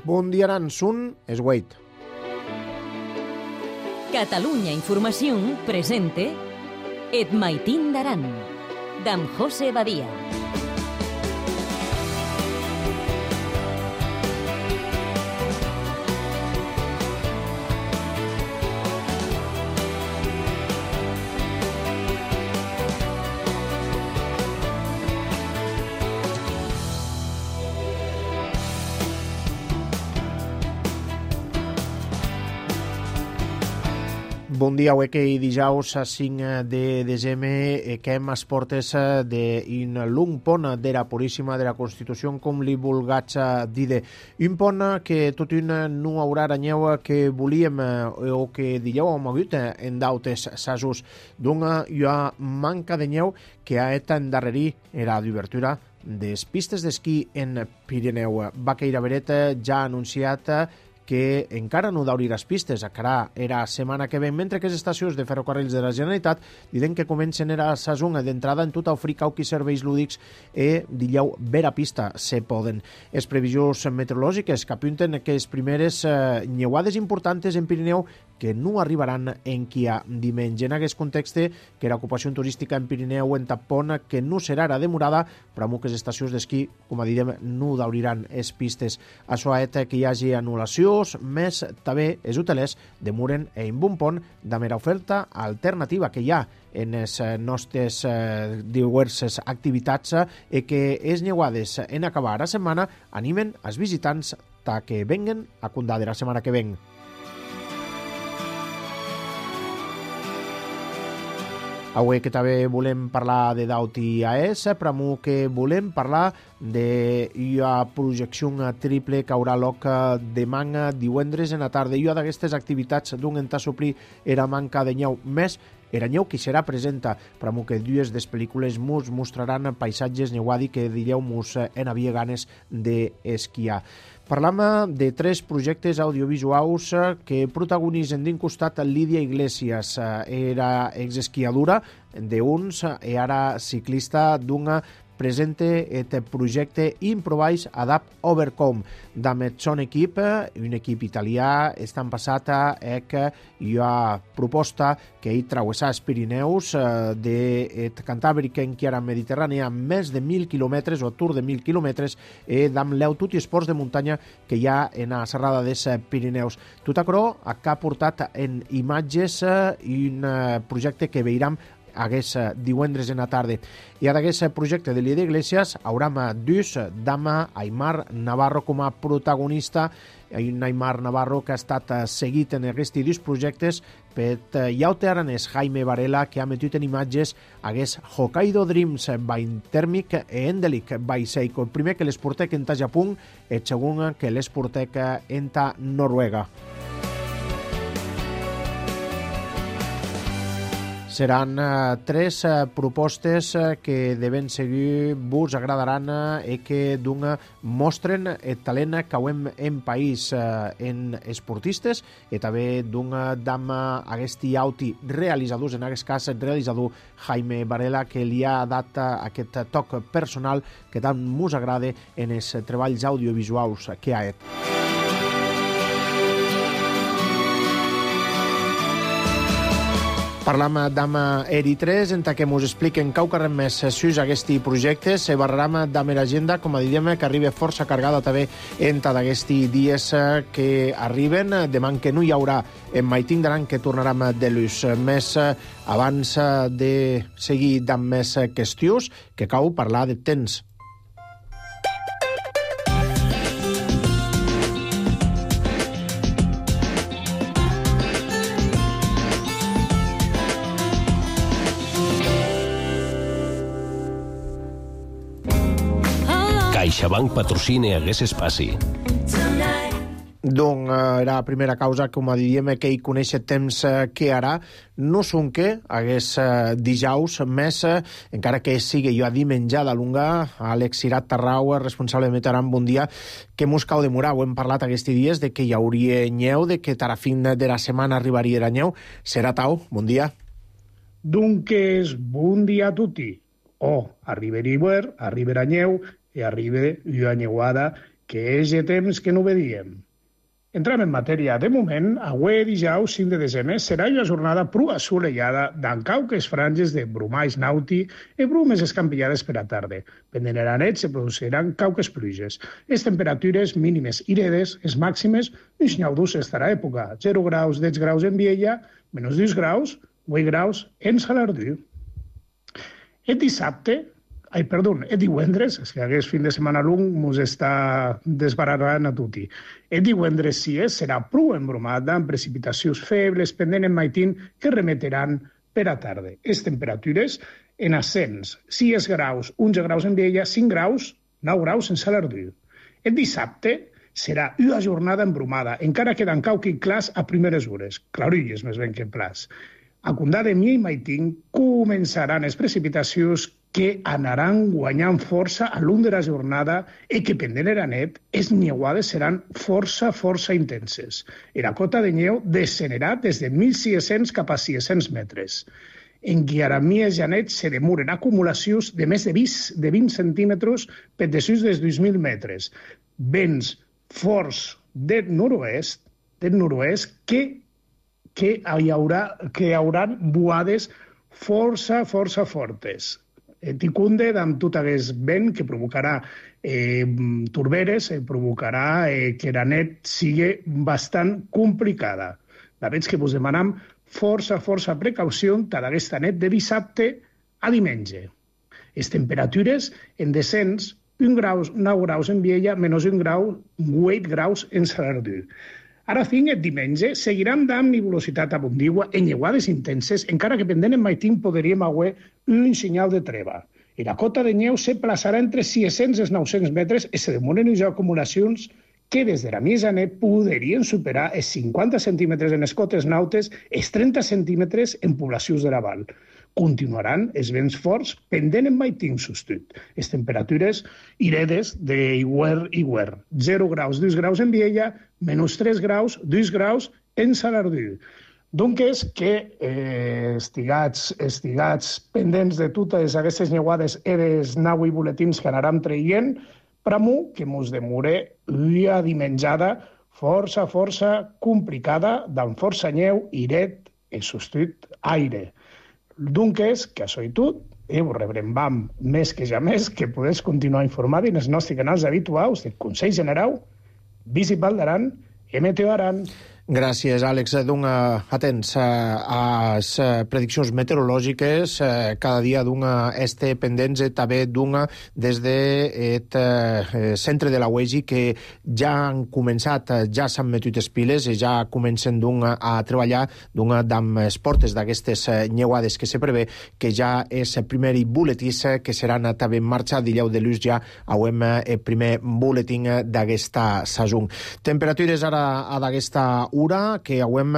Bon dia, Aran. Sun es Wait. Catalunya Informació presente Et Maitín d'Aran, d'en José Badia. Bon dia, avui que dijous 5 de desembre que hem as portes d'un long pont d'era Puríssima de la Constitució, com li vulgats dir. Un pont que tot un no haurà aranyeu que volíem o que dijou hem hagut en d'autes sasos. Doncs hi ha manca de nyeu que ha et endarrerir era d'obertura des pistes d'esquí en Pirineu. Baqueira Beret ja ha anunciat que encara no d'obrir les pistes, encara era setmana que ven, mentre que les estacions de ferrocarrils de la Generalitat diuen que comencen a sazón d'entrada en tot ofrir cauquis serveis lúdics dillau vera pista se poden. Les previsions meteorològiques que apunten que les primeres nyeuades importantes en Pirineu que no arribaran en quia diumenge. En aquest context que l'ocupació turística en Pirineu en Tapón que no serà ara demorada, però amb les estacions d'esquí, com a direm, no d'obriran les pistes. Això ha fet que hi hagi anul·lacions, més també els hotelers demoren en un pont de mera oferta alternativa que hi ha en les nostres diverses activitats i que les nyeuades en acabar la setmana animen els visitants que venguen a Condà de la setmana que ven. Avui que també volem parlar de Dauti AES, però que volem parlar de la projecció triple que haurà lloc demà divendres en la tarda. I d'aquestes activitats d'un entà suplir era manca de nyeu més, era nyeu que serà presenta, però que dues des pel·lícules mos mostraran paisatges neuadi que direu mos en havia ganes d'esquiar. Parlam de tres projectes audiovisuals que protagonitzen d'un costat Lídia Iglesias, era exesquiadora d'uns i ara ciclista d'una presente et projecte Improvise Adapt Overcome d'Amet son equip, un equip italià, estan passat que hi ha proposta que hi travessar els Pirineus de Cantàbric en Chiara Mediterrània més de 1.000 quilòmetres o tour de 1.000 quilòmetres d'amb l'eu tot i esports de muntanya que hi ha en la serrada dels Pirineus. Tot això que ha portat en imatges un projecte que veiram hagués divendres en la tarda. I d'aquest projecte de Lídia Iglesias haurem dus d'ama Aimar Navarro com a protagonista, un Aimar Navarro que ha estat seguit en aquests dos projectes per llaute aranès Jaime Varela, que ha metut en imatges hagués Hokkaido Dreams by Thermic e Endelic by Seiko. El primer que les portec en ta Japó, el segon que les portec en ta Noruega. Seran tres propostes que deben seguir, vos agradaran i que mostren el talent que hem en país en esportistes i també d'ama aquest auti realitzadors, en aquest cas el realitzador Jaime Varela, que li ha dat aquest toc personal que tant mos agrada en els treballs audiovisuals que ha fet. Parlam d'ama Eri3, en què mos expliquen caucarem més sus aquests projectes. Se barram d'ama l'agenda, com a diríem, que arriba força cargada també entre d'aquests dies que arriben. Demà que no hi haurà en Maitín d'Aran, que tornarem de l'ús. Més abans de seguir amb més qüestions, que cau parlar de temps. CaixaBank patrocina hagués espaci. Doncs era la primera causa, com a diríem, que hi coneix temps que ara. No són que hagués dijous més, encara que sigui jo a diumenge de lunga, Àlex Cirat Tarrau, responsable de Meteoran, bon dia, que mos cau demorar. Ho hem parlat aquests dies de que hi hauria nyeu, de que a fin de la setmana arribaria la nyeu. Serà tau, bon dia. Dunques, bon dia a tutti. Arribarà hivern, arribarà nyeu, i arriba una nyeuada que és de temps que no vedíem. Entrem en matèria. De moment, avui dijous 5 de desembre serà una jornada prou assolellada d'en cauques franges de brumalls nauti i brumes escampillades per a tarda. Pendent de la nit se produciran cauques pluges. Les temperatures mínimes i redes, les màximes, uns nyaudos estarà a època. 0 graus, 10 graus en Viella, menys 2 graus, 8 graus en Salardú. El divendres, és que aquest fin de setmana long mos està desbararant a tutti. El divendres serà prou embromada amb precipitacions febles pendent en maitín que remeteran per a tarda. Les temperatures en ascens, 6 graus, 11 graus en Viella, 5 graus, 9 graus en Salardú. El dissabte serà una jornada embromada, encara queden cauqui clars a primeres hores, clarulles més ben que plats. A Condà de Mia i Maitín començaran les precipitacions que anaran guanyant força a l'un de la jornada i que, pendent de la nit, les niuades seran força intenses. La cota de neu descenderà des de 1.600 cap a 600 metres. En Guiaramia i Janet se demoren acumulacions de més de 20 centímetres per desús dels 2.000 metres. Vents forts del nord-oest que hi haurà buades força fortes. Ticunde amb tot aquest vent que provocarà torberes, provocarà que la nit sigui bastant complicada. La veig que vos demanam força precaució tant aquesta nit de dissabte a diumenge. Les temperatures en descens, 9 graus en Viella, menys 1 grau, 8 graus en Salardú. Ara fins el diumenge seguiran dant nebulositat abundigua en lleuades intenses, encara que pendent en maitín podríem haver un senyal de treva. I la cota de neu se plaçarà entre 600 i 900 metres i se demoren unes acumulacions que des de la mitjana podrien superar els 50 centímetres en les cotes nautes i els 30 centímetres en poblacions de la Val. Continuaran els vents forts pendent en maitín sostut. Les temperatures iredes d'iguer. 0 graus, 2 graus en Viella, menys 3 graus, 2 graus en Salardú. Donc és que estigats pendents de totes aquestes neuades i dels 9 buletins que anaran traient, pramo que mos demore una dimenjada força complicada, d'en força neu, iret i sostut aire. Donc és que això i tot, vos rebrem més que ja més, que podeu continuar informant en els nostres canals habituals de Consell General, Visit Val d'Aran i Meteo Aran. Gràcies, Àlex. Atents a les prediccions meteorològiques. Cada dia este pendents també des del centre de la UEGI, que ja han començat, ja s'han metut les piles i ja comencen a treballar amb les portes d'aquestes neuades que se prevé, que ja és el primer buletí que seran també en marxa. Dileu de luz ja hauem el primer buletín d'aquesta saison. Temperatures ara a d'aquesta hora, que hauem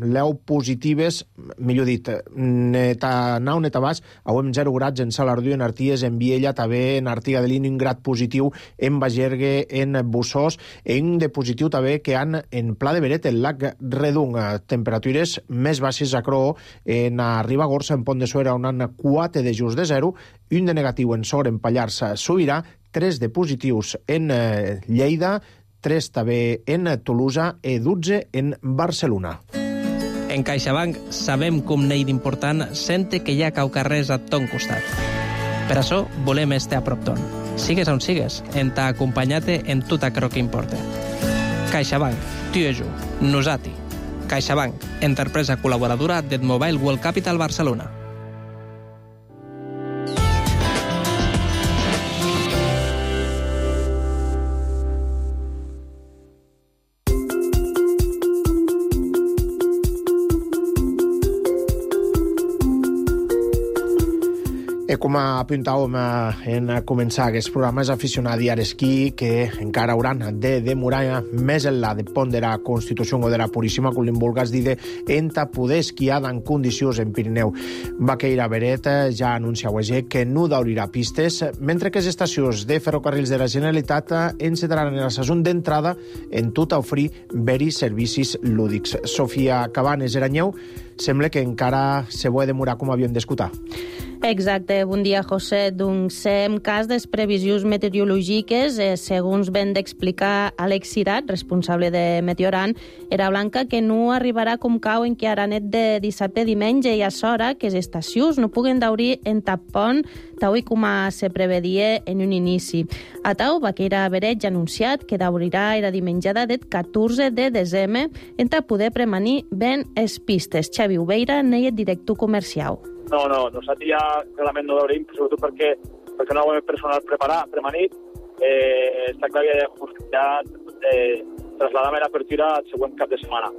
leu positives, millor dit, neta nau, neta baix, hauem 0 grads en Salardú, en Arties, en Viella, també en Artiga de Lini, un grad positiu en Bagergue, en Bussós, i un de positiu també que han en Pla de Beret, el lac Redung. Temperatures més baixes a Croo, en Ribagorça, en Pont de Suera, on han 4 de just de 0, un de negatiu en Sor, en Pallars Sobirà, 3 de positius en Lleida, 3 també en Tolosa i 12 en Barcelona. En CaixaBank sabem com n'hi d'important sente que hi ha caucarrers a ton costat. Per això volem estar a prop ton. Sigues on sigues, en t'ha acompanyat en tot aquello que importa. CaixaBank, tu i jo, nosati. CaixaBank, empresa col·laboradora del Mobile World Capital Barcelona. Com apuntàvem en començar aquest programa, és aficionat a l'esquí que encara hauran de demorar més enllà de pont de la Constitució o de la Puríssima, com li vulguis dir, enta poder esquiar en condicions en Pirineu. Baqueira Beret ja anuncia que no d'obrirà pistes, mentre que les estacions de ferrocarrils de la Generalitat encetaran la saison d'entrada en tot a oferir veris servicis lúdics. Sofia Cabanes Eranyeu, sembla que encara se vol demorar com havíem d'escoltar. Exacte, bon dia, José. Doncs, en cas de previsions meteorològiques, segons ben d'explicar Àlex Cirat, responsable de Meteoran, era blanca que no arribarà com cau en que ara net de dissabte diumenge i a s'hora que les estacions no puguen daurir en tapon tau i com se prevedia en un inici. A tau, Vaqueira Vereig ha anunciat que daurirà era dimenjada del 14 de desembre en poder premanir ben les pistes. Xavi Ubeira n'és director comercial. No, nosaltres ja realment no daurim, sobretot perquè no ho hem personal premanit. Està clar que ja trasladam l'apertura al següent cap de setmana.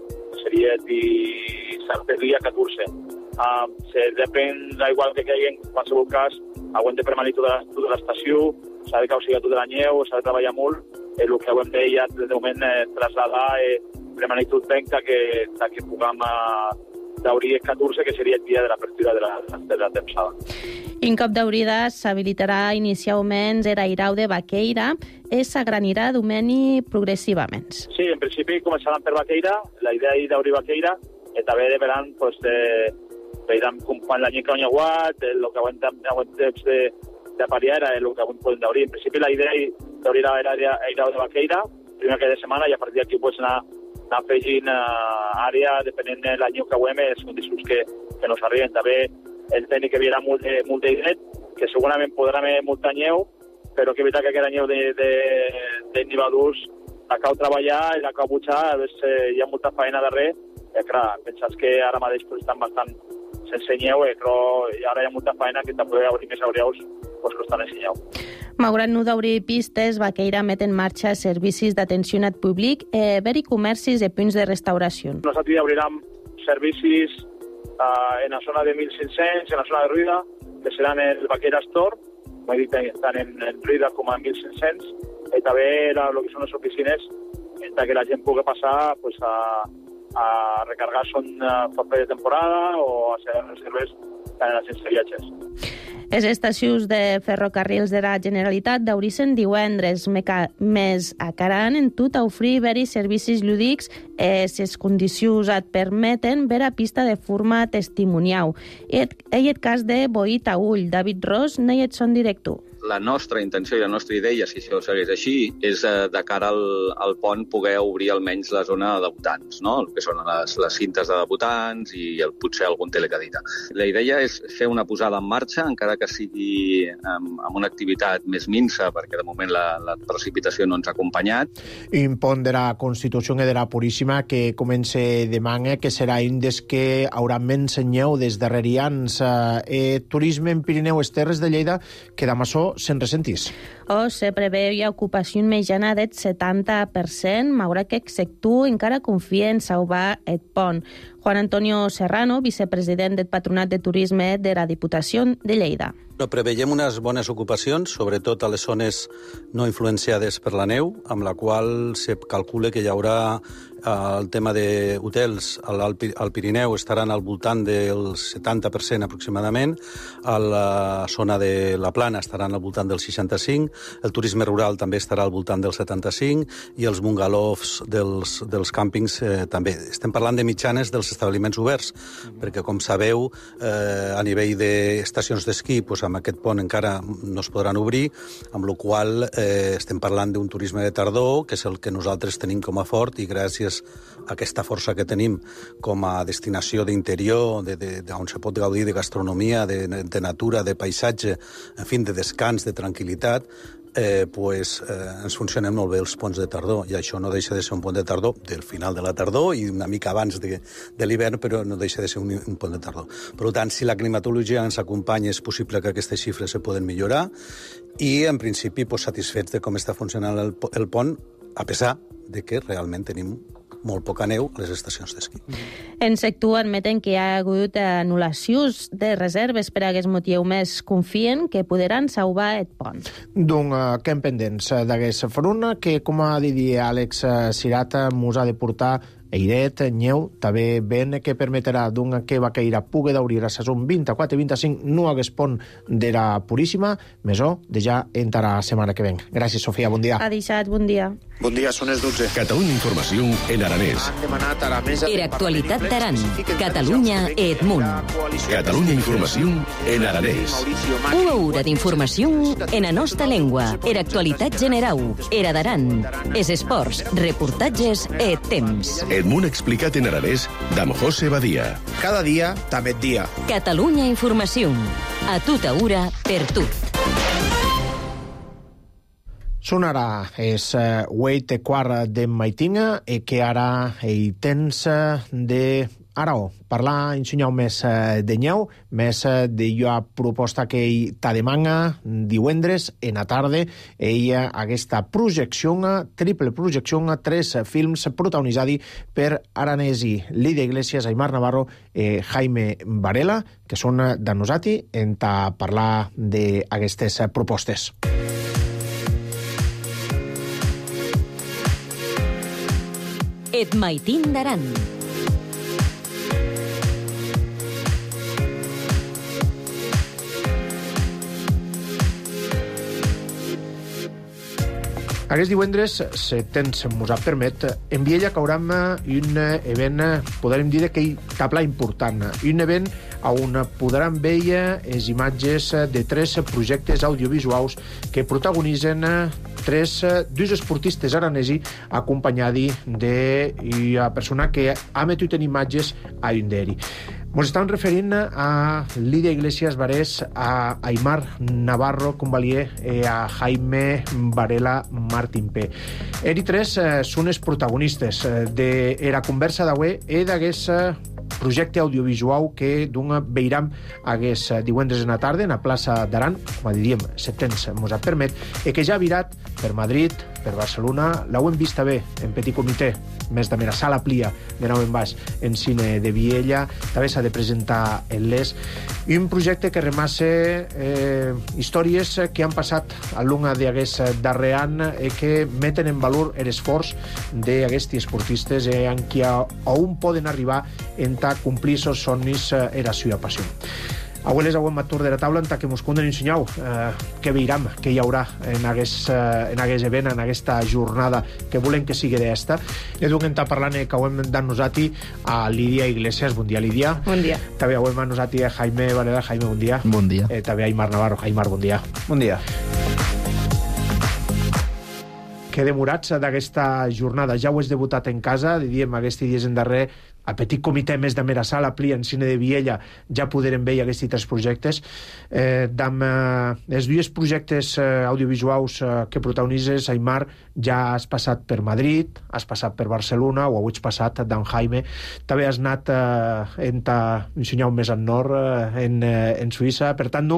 Seria el dia 14. Depèn, igual que caigui en qualsevol cas, hem de premanir tota l'estació, s'ha de causigar tota la neu, s'ha de treballar molt. El que hem de ja, de moment, trasladar, premanir tot ben que puguem daurir el 14, que seria el dia de l'apertura de la tempsada. En cop d'aurida s'habilitarà inicialment l'airau de Vaqueira i s'agranirà domeni progressivament. Sí, en principi començaran per Vaqueira, la idea és d'aurir Vaqueira, i també veran, veurem quan l'any que han aguat, el que aguant temps d'apariar era el que podem daurir. En principi la idea és d'aurir l'airau de Vaqueira, primer que de setmana, i a partir d'aquí anar afegint àrea, depenent de l'any que ho hem, les condicions que nos arriben. També el tècnic que havia molt d'hidret, que segurament podrà haver molta neu, però que evitar que aquesta neu de nivadurs la cau treballar i la cau butxar, hi ha molta feina darrere. Clar, pensats que ara mateix estan bastant sense neu, però ara hi ha molta feina que també obrir més auriaus que estan sense neu. Malgrat no d'obrir pistes, Vaqueira met en marxa servicis d'atenció al públic, ver i comercis i punts de restauració. Nosaltres obrirem servicis en la zona de 1.500, en la zona de Ruida, que seran el Vaqueira Store, com he dit, tant en Ruida com a 1.500, i també el que són les oficines, que la gent pugui passar a recargar son paper de temporada o a fer reserves en les agències de viatges. Les estacions de ferrocarrils de la Generalitat daurissen divendres, més acaran en tot a oferir veris servicis lúdics les condicions et permeten ver a pista de forma testimonial. I el cas de Boí Taüll, David Ros, n'és son director. La nostra intenció i la nostra idea, si això segueix així, és de cara al pont poder obrir almenys la zona de debutants, no? El que són les cintes de debutants i potser algun telecadita. La idea és fer una posada en marxa, encara que sigui amb una activitat més minsa, perquè de moment la precipitació no ens ha acompanyat. Un pont de la Constitució de la Puríssima que comença demà, que serà un des que haurà menys neu des darrerians. Turisme en Pirineu, les Terres de Lleida, que demà se'n ressentís. Se preveu ocupació mitjana del 70%, malgrat que el sector encara confia en salvar el pont. Juan Antonio Serrano, vicepresident del Patronat de Turisme de la Diputació de Lleida. Preveiem unes bones ocupacions, sobretot a les zones no influenciades per la neu, amb la qual se calcula que hi haurà el tema d'hotels al Pirineu estaran al voltant del 70% aproximadament, a la zona de la Plana estaran al voltant del 65%, el turisme rural també estarà al voltant del 75% i els bungalovs dels càmpings també. Estem parlant de mitjanes dels establiments oberts, perquè com sabeu, a nivell d'estacions d'esquí, amb aquest pont encara no es podran obrir, amb la qual estem parlant d'un turisme de tardor, que és el que nosaltres tenim com a fort, i gràcies a aquesta força que tenim com a destinació d'interior, on se pot gaudir de gastronomia, de natura, de paisatge, en fi, de descans, de tranquil·litat, ens funcionen molt bé els ponts de tardor, i això no deixa de ser un pont de tardor del final de la tardor i una mica abans de l'hivern, però no deixa de ser un pont de tardor. Per tant, si la climatologia ens acompanya, és possible que aquestes xifres se poden millorar i, en principi, satisfets de com està funcionant el pont, a pesar de que realment tenim molt poca neu a les estacions d'esquí. En sector admeten que hi ha hagut anul·lacions de reserves per a aquest motiu, més confien que podran salvar el pont. Donc, quedem pendents d'aquesta front, que, com ha dit Àlex Cirat, mos ha de portar airet, neu, també vent, que permetrà que Vaqueira pugui d'obrir a saison 24 i 25 no hagués pont de la Puríssima, més o de ja entrarà la setmana que ven. Gràcies, Sofia, bon dia. Ha deixat, bon dia. Bon dia, són les 12. Catalunya Informació en aranès. Han demanat a la mesa... Era actualitat d'Aran, Catalunya e Edmunt. Catalunya Informació en aranès. Una hora d'informació en la nostra llengua. Era actualitat general. Era d'Aran. Es esports, reportatges e temps. Edmunt explicat en aranès d'Am José Badia. Cada dia, també dia. Catalunya Informació. A tota hora, per tot. Són ara és 8:15 de maitinga i que ara hi tens de Arao. Parlar, ensenyar més de nyeu, més de la proposta que ell t'ha demana divendres en la tarda. Ella, aquesta projecció, triple projecció, 3 films protagonitzats per aranesi Lídia Iglesias, Aimar Navarro i Jaime Varela, que són de nosaltres en parlar d'aquestes propostes. Et maitin d'Aran. Aquest divendres, si tens mos permet, en Viella cauram un event, podrem dir que tabla important. Un event on podran veure les imatges de 3 projectes audiovisuals que protagonitzen dos esportistes aranesi acompanyats d'una persona que ha metut en imatges a un d'ells. Ens estem referint a Lídia Iglesias Varés, a Aimar Navarro Convalier i a Jaime Varela Martín P. Ells 3 són els protagonistes de la conversa d'avui i d'aquest projecte audiovisual que veiram aquest divendres en la tarda en la plaça d'Aran, com diríem, si temps mos permet, i que ja ha virat per Madrid, per Barcelona, l'hem vista bé en petit comitè, més de mera sala plia de nou en baix en cine de Viella, també s'ha de presentar en l'ES, i un projecte que remassa històries que han passat a l'una d'aquest darrer any i que meten en valor l'esforç d'aquests esportistes en qui on poden arribar en complir els somnis i la seva passió. Avui les auem matur de la taula en que mos conden ensenyau què veiram, què hi haurà en aquest event, en aquesta jornada que volem que sigui d'esta. I duc en parlant que auem d'en nosaltres a Lídia Iglesias. Bon dia, Lídia. Bon dia. També auem a nosaltres a Jaime Varela. Jaime, bon dia. Bon dia. També a Aimar Navarro. Aimar, bon dia. Bon dia. Que demorats d'aquesta jornada. Ja ho has debutat en casa, diríem, aquests dies en darrer, a petit comitè més de mera sala, pli en cine de Viella, ja podrem veure aquests 3 projectes. Els 2 projectes audiovisuals que protagonitzes, Aimar, ja has passat per Madrid, has passat per Barcelona, o avui has passat d'en Jaime. També has anat ensenyar més al nord, en Suïssa. Per tant,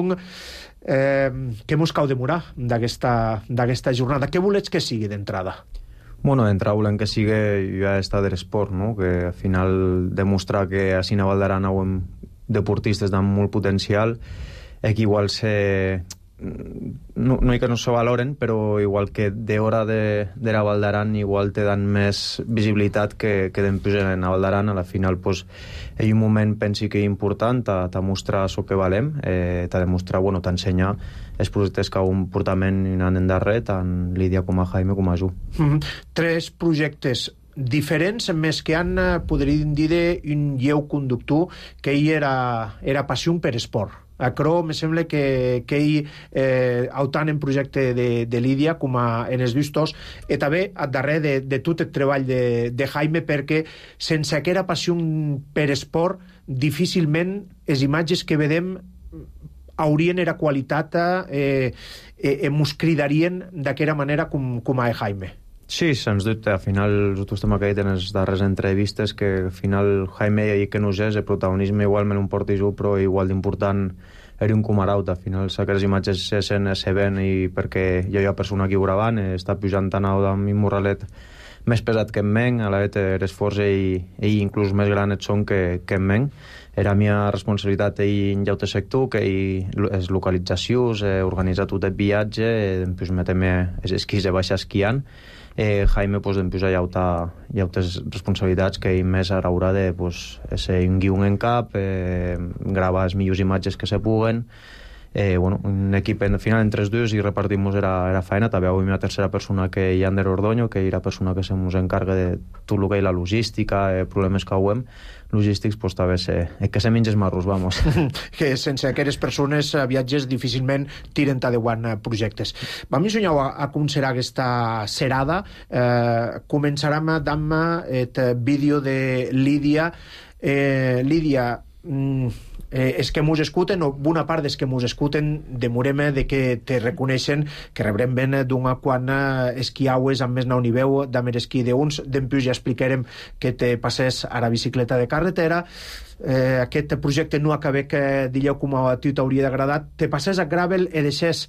què mos cau demorar d'aquesta jornada? Què volets que sigui d'entrada? Bueno, d'entrada volem que sigui ja estar de l'esport, no? Que al final demostrar que a Cine Val d'Aran hi ha deportistes amb molt potencial i que igual no hi que no se valoren, però igual que d'hora de la Val d'Aran igual te dan més visibilitat que d'empujar en la Val d'Aran. A la final pues, hi ha un moment pensi que és important t'ha mostrar el que valem, t'ha de mostrar, bueno, t'ensenyar els projectes que un portament anant endarrer, tant Lídia com a Jaime com a Ju. 3 projectes diferents, més que han, podríem dir, un lleu conductor que ell era passió per esport. Però me sembla que ell, autant en projecte de Lídia com en els vistos, i també al darrer de tot el treball de Jaime, perquè sense aquella passió per esport, difícilment les imatges que vedem haurien era qualitat mos cridarien d'aquella manera com a Jaime. Sí, sens dubte. Al final, nosaltres també que en les darreres entrevistes, que al final Jaime i que no és, el protagonisme igualment un porti jo, però igual d'important era un comaraut. Al final, aquestes imatges se ven i perquè hi ha persona aquí gravant, està pujant tan alt amb un morralet més pesat que en men, a la vegada l'esforç ell inclús més gran et són que en men. Era la meva responsabilitat en llaute sector, que les localitzacions, organitzar tot el viatge, després metem els esquís de baixa esquiant. Jaime, pues, després hi ha altres responsabilitats que ell més haurà de ser un guion en cap, gravar les millors imatges que se puguen, un equip en final entre els dos i repartimos era feina. També avui una tercera persona que hi Ander Ordoño, que era persona que se mos encarga de tot el que és la logística, problemes que ho hem logístics, pues també que se menges marros, vamos. Que sense aquestes persones viatges difícilment tiren endavant projectes. Vam ensenyar a com serà aquesta serada. Començarem amb el vídeo de Lídia. Lídia, els que mos escuten, o bona part dels que mos escuten, demorem de que te reconeixen, que rebrem ben d'una quan esquiaues amb més nau niveu, d'amb esquí d'uns, d'empús ja explicarem que te passés a la bicicleta de carretera. Aquest projecte no acaba que digueu com a tu t'hauria d'agradat. Te passés a gravel i deixés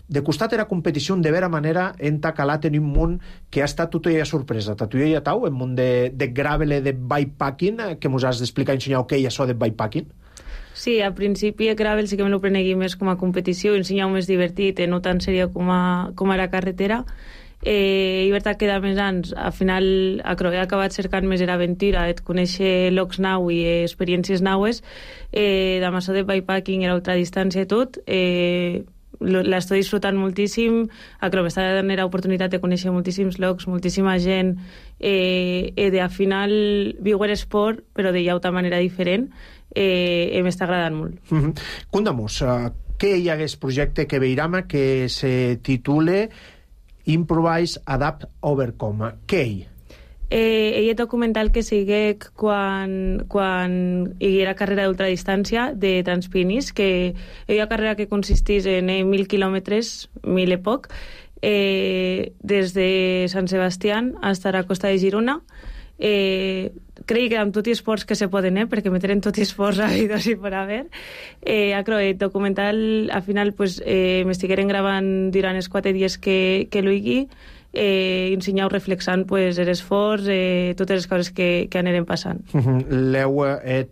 de costat era competició de vera manera en calat en un món que ha estat tota ja sorpresa. Tu ja tau, en món de gravel i de bikepacking, que mos has d'explicar i ensenyar què és això de bikepacking? Sí, al principi el gravel sí que me lo prenegui més com a competició, ensenyar més divertit, no tan seria com a la carretera. I veritat que de més anys, al final he acabat cercant més l'aventura, et conèixer llocs nou i experiències naues. De maçó de bikepacking i l'ultradistància i tot, l'estic disfrutant moltíssim. M'està donant l'oportunitat de conèixer moltíssims llocs, moltíssima gent, de al final viure l'esport però de llauta manera diferent. M'està agradant molt. Conta'm-nos, què hi ha aquest projecte que veiem que se titula Improvise, Adapt, Overcome? Què hi? Ell documental que segueix quan hi era carrera d'ultradistància de Transpinis, que hi ha carrera que consistís en 1.000 quilòmetres, 1.000 i poc, des de Sant Sebastián fins a la costa de Girona. Crec que amb tots els esports que se poden, perquè meteren tots els esports habidos i per haver. El documental, al final, m'estigueren gravant durant els 4 dies que l'uigui, ensenyau reflexant l'esforç, totes les coses que anirem passant. L'heu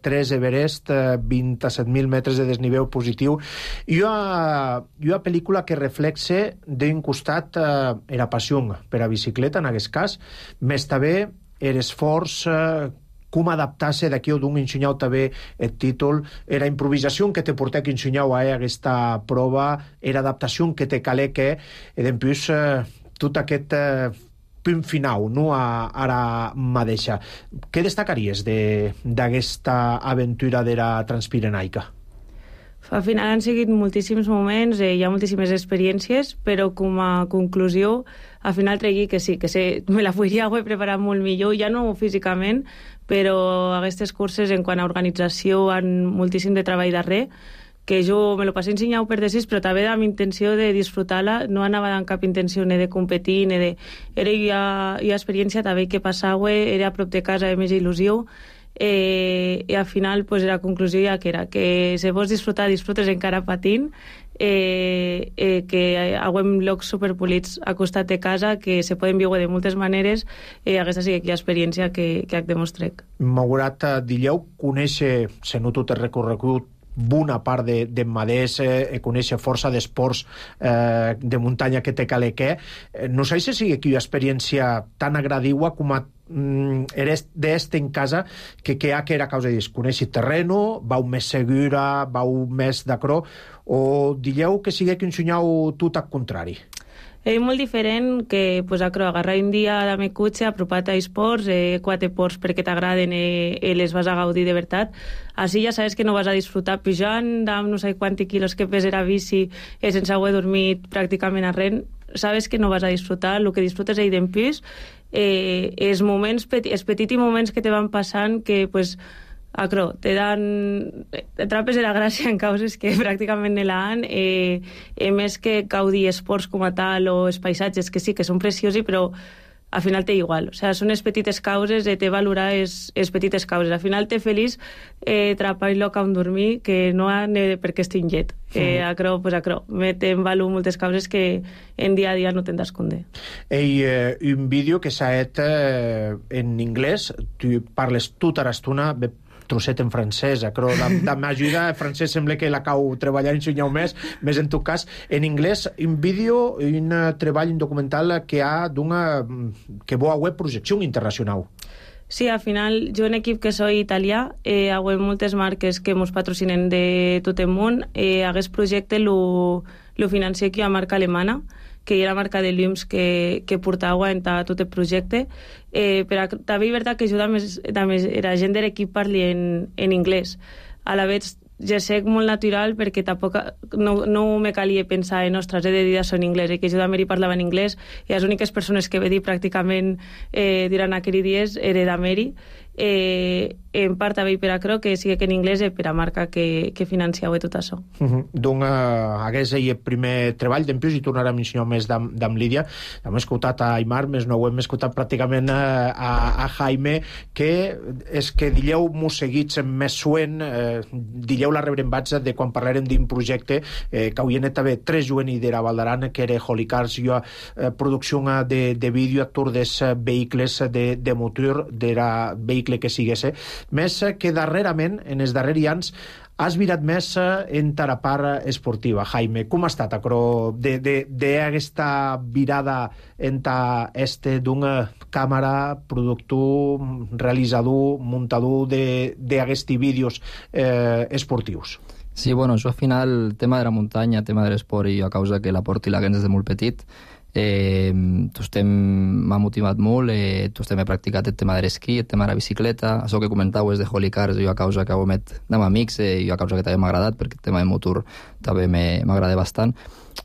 3 Everest, 27.000 metres de desnivell positiu. Hi ha una pel·lícula que reflexe d'un costat la passió per a bicicleta, en aquest cas, més també l'esforç, com adaptar-se d'aquí o d'un ensenyau també el títol, era improvisació que te portà que ensenyau a aquesta prova, era adaptació que te calé que, d'empús, tot aquest punt final, no, a la mateixa. Què destacaries d'aquesta aventura de la Transpirenaica? Al final han seguit moltíssims moments, hi ha moltíssimes experiències, però com a conclusió, al final tregui que sí, me la podria haver preparat molt millor, ja no físicament, però aquestes curses en quant a organització han moltíssim de treball darrere, que jo me lo passé ensenyau per decís, però també amb intenció de disfrutar-la, no anava amb cap intenció ni de competir, ni de... Era experiència també que passava, era a prop de casa de més il·lusió, i al final la conclusió ja que era que si vols disfrutar, disfrutes encara patint, que haguen llocs superpolits a costat de casa, que se poden viure de moltes maneres, aquesta sí que hi ha experiència que demostrec. Malgrat dilleu conèixer, se no tot el recorregut, bona part de maders, conèixer força d'esports de muntanya que te calé que, no sé si sigui aquí una experiència tan agradiua com a d'este en casa que ha que era causa de conèixer terreno, vau més segura, vau més d'acrò, o dilleu que sigui que ensenyau tot al contrari? És molt diferent que agarrar un dia de meu cotxe, apropat a esports, 4 ports perquè t'agraden i les vas a gaudir de veritat. Així ja sabes que no vas a disfrutar pujant amb no sé quants quilos que pesa la bici sense haver dormit pràcticament a res. Sabes que no vas a disfrutar, el que disfrutes és d'empús, els petits moments que te van passant que te trapes de la gràcia en causes que pràcticament ne l'han, més que gaudir esports com a tal o els paisatges que sí, que són preciosos, però al final té igual, són les petites causes, té valorar les petites causes, al final té feliç trapar el lloc on dormir, que no ha per què estic llet, acrò, té en valor moltes causes que en dia a dia no te'n d'esconder. Un vídeo que s'ha fet en anglès, tu parles tota l'estona, trosset en francès, però d'ajuda en francès sembla que la cau treballar i ensenyar més en tot cas, en anglès, un vídeo, un treball, un documental que ha d'una que bo a web projecció internacional. Sí, al final, jo en equip que soy italià, haguem moltes marques que mos patrocinen de tot el món. Hagués projecte lo financier que hi ha marca alemana, que hi ha la marca de Lüms que portava en tot el projecte. Però també és veritat que jo també era gent de l'equip parli en anglès. A la vegada, ja sé molt natural perquè tampoc no me calia pensar en ostres, he de dir això en anglès, que jo també hi parlava en anglès i les úniques persones que ve dir pràcticament durant aquells dies era d'Ameri. En part també per a Cro, que sigui que en anglès per a marca que financiava tot això. Donc, hagués el primer treball, d'empius, i tornarem a mencionar més d'amb Lídia. Hem escoltat a Aimar, més no ho hem escoltat pràcticament a Jaime, que és que dilleu mos seguits més suent, dilleu la rebrembats de quan parlarem d'un projecte que havien també tres juvenils d'era Valdaran, que era Holy Cars, producció de vídeo a tour des vehicles de motor, d'era vehicle que sigués, més que darrerament, en els darrers anys, has virat més en la part esportiva. Jaime, com ha estat d'aquesta virada en d'una càmera, productor, realitzador, muntador d'aquests vídeos esportius? Sí, bueno, això al final, el tema de la muntanya, el tema de l'esport, i a causa que la porti la gens des de molt petit, m'ha motivat molt. He practicat el tema de l'esquí, el tema de la bicicleta, això que comentau és de Holy Cars, jo a causa que ho met amb amics, jo a causa que també m'ha agradat, perquè el tema de motor també m'agrada bastant,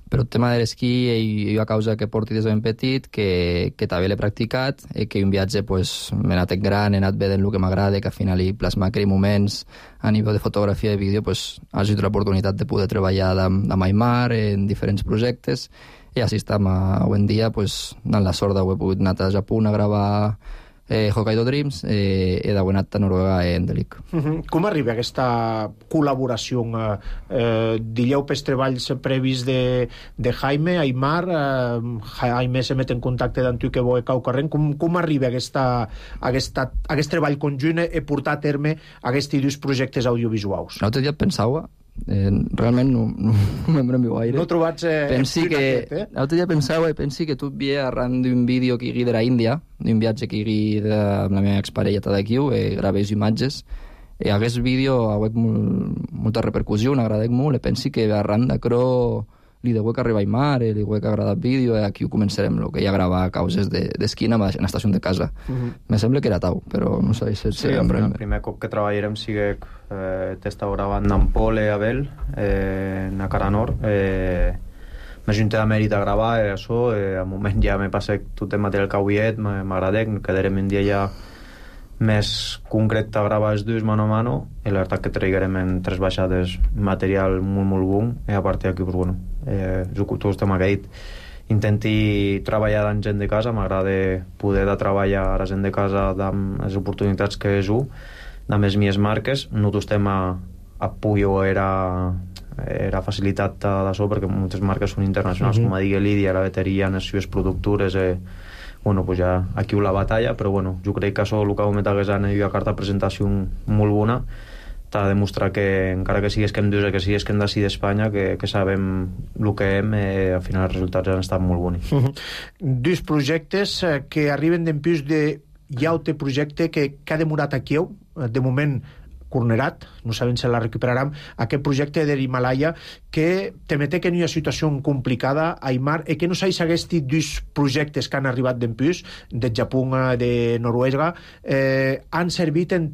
però el tema de l'esquí jo a causa que porti des de ben petit, que també l'he practicat, que un viatge m'he anat en gran, he anat vedent el que m'agrada, que al final hi plasmar aquells moments a nivell de fotografia i de vídeo, ha sigut l'oportunitat de poder treballar amb Aimar en diferents projectes. I així estem avui en dia, en la sort d'haver pogut anar a Japó a gravar Hokkaido Dreams i d'haver anat a Noruega en Delic. Com arriba aquesta col·laboració? Dilleu pels treballs previs de Jaime, Aimar, Jaime se met en contacte amb tu que veu cau corrent. Com arriba aquest treball conjunt i portar a terme aquests dos projectes audiovisuals? L'altre dia pensava, realment no me'n bremio gaire. No trobats l'altre dia pensava i pensi que tot ve arran d'un vídeo que hi hagi de la Índia, d'un viatge que hi hagi amb la meva exparella d'aquí, gravés imatges, i aquest vídeo ha hagut molta repercussió, m'agrada molt, i pensi que arran d'acro li deu que arriba a Aimar, li deu que agrada el vídeo, i aquí ho començarem, el que ja gravar a causes d'esquina en l'estació de casa. Me sembla que era tau, però no sé si el primer cop que treballarem sigue t'estava gravant amb Pol i Abel a Cara Nord. M'ajunté a Mèrit a gravar, això, al moment ja me passé tot el material que avui m'agrada, quedarem un dia ja més concret a gravar els dos mano a mano, i la veritat que traiguem en 3 baixades material molt, molt bon, i a part d'aquí, tot el tema que he dit, intenti treballar amb gent de casa, m'agrada poder de treballar a la gent de casa amb les oportunitats que és amb les mies marques, no tot el tema a Puyo era facilitat d'això, perquè moltes marques són internacionals, com a digui Lídia, la bateria, les seves productores, ja aquí la batalla, però jo crec que això el que ho metagués en la carta de presentació molt bona, t'ha de demostrar que encara que sigues que hem dius que sigues que hem d'ací d'Espanya, que sabem el que hem, al final els resultats han estat molt bonics. Dos projectes que arriben d'empius hi ha un projecte que ha demorat aquí, de moment cornerat, no sabem si la recuperarem, aquest projecte de l'Himalaya que te mete que no hi ha situació complicada, Aimar, i que no s'hi aquests dos projectes que han arribat d'empius, de Japó, de Noruega, han servit en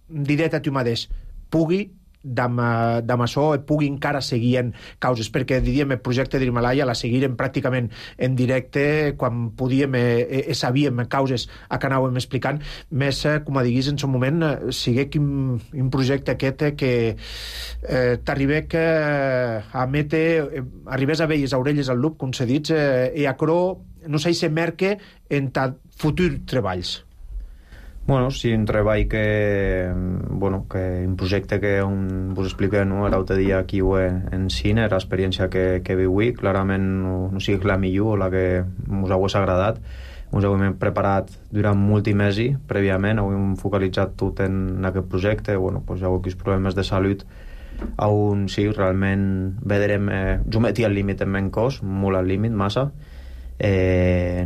diré a tu mateix, pugui d'amb això pugui encara seguir en causes, perquè diríem el projecte de l'Himalaya la seguirem pràcticament en directe quan podíem sabíem causes a que anàvem explicant, més com a diguis en son moment, sigui un projecte aquest que t'arribés a mete arribés a veure les orelles al lup, com s'ha dit, i a cro no sé si merque en futurs treballs. Sí, un treball que un projecte que vos expliqué l'altre dia aquí en cine, l'experiència que viui, clarament no sigui la millor o la que us hagués agradat. Ens hem preparat durant molts mesos prèviament, hem focalitzat tot en aquest projecte, hi ha hagut problemes de salut on sí, realment vedrem, jo metia el límit en men cos, molt al límit, massa,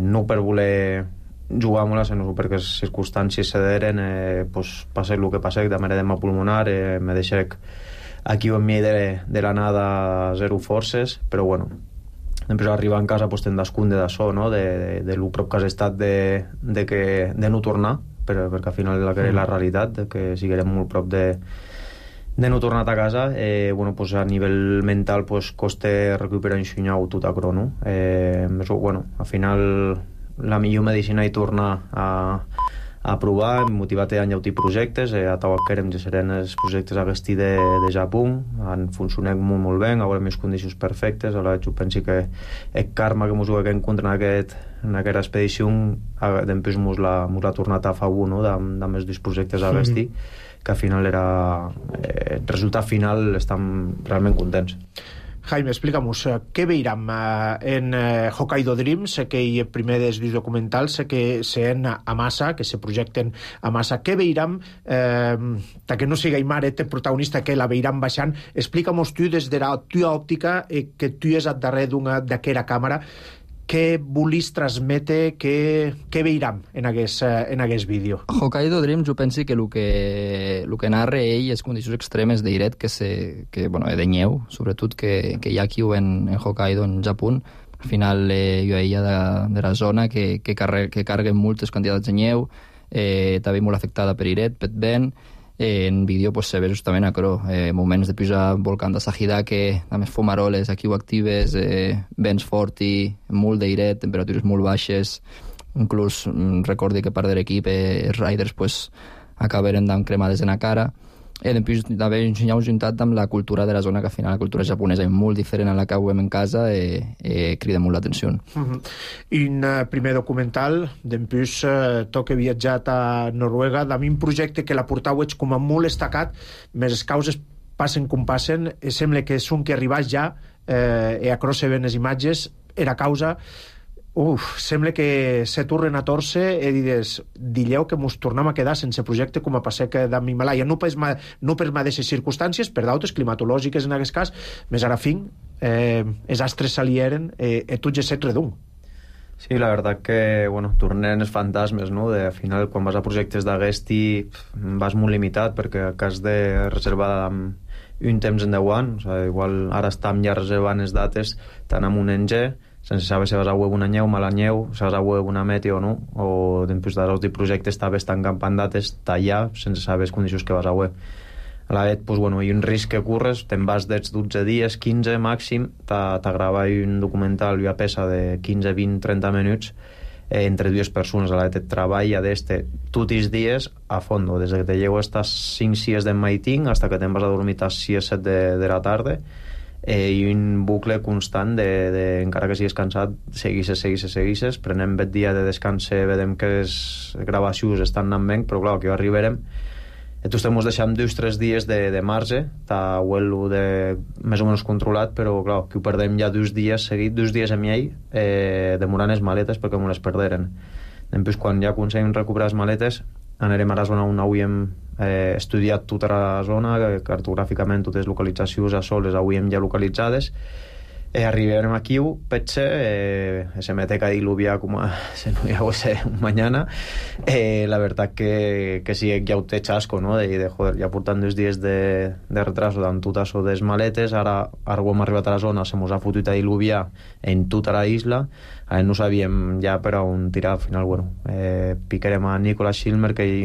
no per voler jugar molt a Senusu perquè les circumstàncies se deren, pues, passec el que passec, de edema pulmonar, me deixec aquí en mi de la nada zero forces, però bueno, després arribar en casa pues, te'n descunde d'això, no? de lo prop que has estat de no tornar, perquè al final la realitat, que siguem molt prop de no tornar a casa. Bueno, pues a nivell mental pues, costa recuperar un xunyau tot a crono. Bueno, al final la millor medicina és tornar a provar, motivar-te a enllautir projectes, a Tauac Kerem ja seran els projectes agasti de Japó, han funcionat molt bé, a veure més condicions perfectes, ara jo penso que el karma que ens ho haguem encontrat en aquesta expedició, després ens l'ha tornat a favor, no?, de més dos projectes agasti, que al final era el resultat final, estem realment contents. Jaime, explica'm-nos, què veurem en Hokkaido Dreams, aquell primer dels documentals que se'n a massa, que se projecten a massa? Què veurem, que no sigui Maret el protagonista, que la veurem baixant? Explica'm-nos tu, des de la tua òptica, que tu és al darrere d'aquella càmera, què volis transmetre, què veurem en aquest vídeo? Hokkaido Dreams, jo penso que el que narra ell és condicions extremes d'airet, de neu, sobretot, que hi ha aquí en Hokkaido, en Japó. Al final, jo ella de la zona que carreguen moltes quantitats de neu, també molt afectada per airet, per vent. En vídeo se ve justament moments de pujar volcán de Sahidake, a més fumaroles aquí o actives, vents fort i molt d'airet, temperatures molt baixes. Inclús recordi que part de l'equip, els riders, acabaren amb cremades en la cara. Després també ensenyar juntat amb la cultura de la zona, que al final la cultura japonesa és molt diferent a la que veiem en casa, crida molt l'atenció. Un primer documental, després tu que he viatjat a Noruega, de un projecte que la portau ets com a molt destacat, més les causes passen com passen, sembla que és un que arribàs ja, a cross se ven les imatges, era causa... sembla que se tornen a torce i dilleu que mos tornem a quedar sense projecte com a passec d'en Himalaya, no per mateixes circumstàncies, per d'altres climatològiques en aquest cas, més ara fin els astres s'alieren i tots és set redum. Sí, la veritat que, tornen els fantasmes, no? Al final, quan vas a projectes d'agesti vas molt limitat, perquè has de reservar un temps en 10 anys, igual ara estem ja reservant les dates tant amb un NG, sense saber si vas a veure una neu, mala neu, si vas a veure una meteo o no, o després dels projectes també estan campant dates tallar sense saber les condicions que vas a veure. A la vegada, hi ha un risc que corres, te'n vas dels 12 dies, 15 màxim, t'agrava un documental, una peça de 15, 20, 30 minuts entre dues persones. A la vegada et treballa tots els dies a fondo, des que te llevo hasta 5-6 del matí hasta que te'n vas a dormir a 6-7 de la tarda, i un bucle constant encara que siguis cansat, seguixes, prenem el dia de descans, vedem que les gravacions estan anant bé, però clar, que arribarem tu estem deixant 2-3 dies de marge, ho de més o menys controlat, però clar, que ho perdem ja 2 dies seguits, 2 dies amb ell, demorant les maletes perquè m'ho les perderen. Després, quan ja aconseguim recuperar les maletes, anirem a la zona on havíem estudiat tota la zona, cartogràficament totes les localitzacions a sol les havíem ja localitzades. Arribarem aquí, potser, se mete a diluviar com si no hi hagués un mañana. La veritat que sí, ja ho té xasco, no? Joder, ja portant 2 dies de retraso amb tot això de les maletes, ara hem arribat a la zona, se mos ha fotut a diluviar en tota la isla, no sabíem ja per on tirar. Al final, picarem a Nicolas Schilmer, que és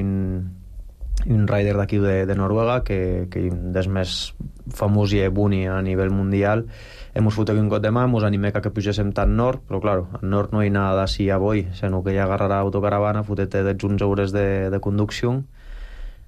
un rider d'aquí de Noruega, que és un dels més famós i buni a nivell mundial. Hemos fotut un got de mà, ens animem que pugéssim tan nord, però clar, al nord no hi ha nada d'ací a boi, sinó que ja agarrarà autocaravana, fotet de 11 hores de conducció.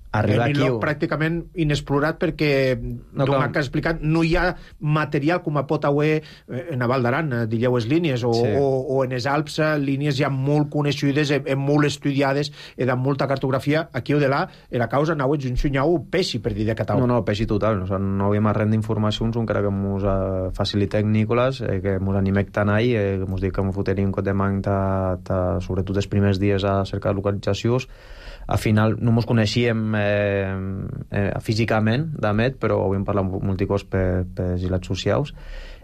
Arribar aquí... Un lloc pràcticament inexplorat perquè, com has explicat, no hi ha material com a pot haver en la Val d'Aran, digueu les línies, o en els Alps, línies ja molt coneixudes, molt estudiades, de molta cartografia. Aquí o de là, la causa no és un xunyau peixi, per dir de català. No, peixi total. No havíem arrent d'informacions, encara que ens facilitem Nicolas, que ens animem tant ahir, que ens dic que ens foteria un cot de manc, sobretot els primers dies a cercar localitzacions. Al final no ens coneixíem físicament, d'Amet, però havíem parlat molts cops per les socials.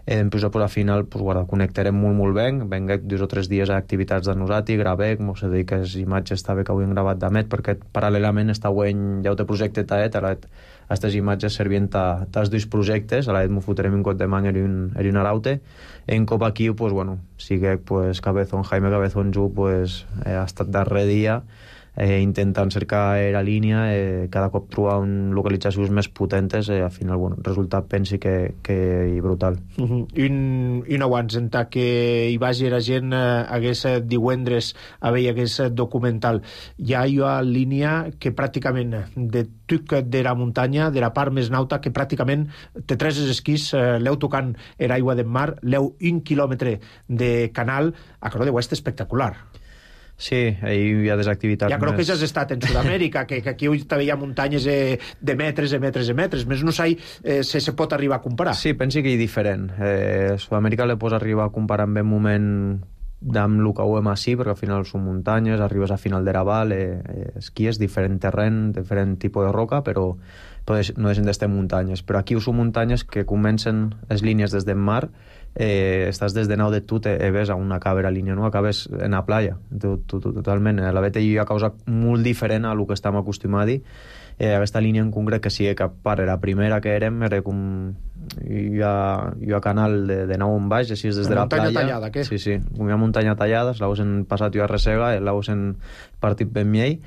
Després, al final, connectarem molt bé. Venguec 2 o 3 dies a activitats de nosaltres, gravec, mos se dedica les imatges també que avui hem gravat d'Amet, perquè paral·lelament està guany ja el projecte taet, aquestes imatges servien als 2 projectes, a l'Aet m'ho fotrem un cop de man en un araute, en cop aquí, pues, bueno, sigue pues, Jaime Cabezón Ju, pues, ha estat darrer dia intentant cercar la línia, cada cop trobar localitzacions més potentes, al final, bueno, el resultat pensi que brutal. I no abans, en tant que hi vagi la gent hagués divendres a veure aquest documental, hi ha una línia que pràcticament de tuc de la muntanya, de la part més nauta, que pràcticament té 3 esquís, l'heu tocant l'aigua del mar, l'heu 1 quilòmetre de canal, a Cró de Oest espectacular. Sí, hi ha des activitats ja crec que ja has estat en Sud-amèrica, que aquí també hi ha muntanyes de metres i metres i metres, més no sé si se pot arribar a comparar. Sí, pensi que és diferent. Sud-amèrica le pots arribar a comparar en un moment amb el que ho hem així, perquè al final són muntanyes, arribes a final de Raval, esquies, diferent terreny, diferent tipus de roca, però no deixen d'estar muntanyes. Però aquí són muntanyes que comencen les línies des del mar, estàs des de Nau de Tut ves a una cabra línia, no? Acabes en la playa, totalment. La veta hi ha causa molt diferent a el que estem acostumats. Aquesta línia en concret, que sí que per la primera que érem, era com hi ha canal de nau en baix, així és des de la playa. Muntanya tallada, què? Sí, hi ha muntanya tallada, l'haus en passat jo a Resega, l'haus en partit ben miei,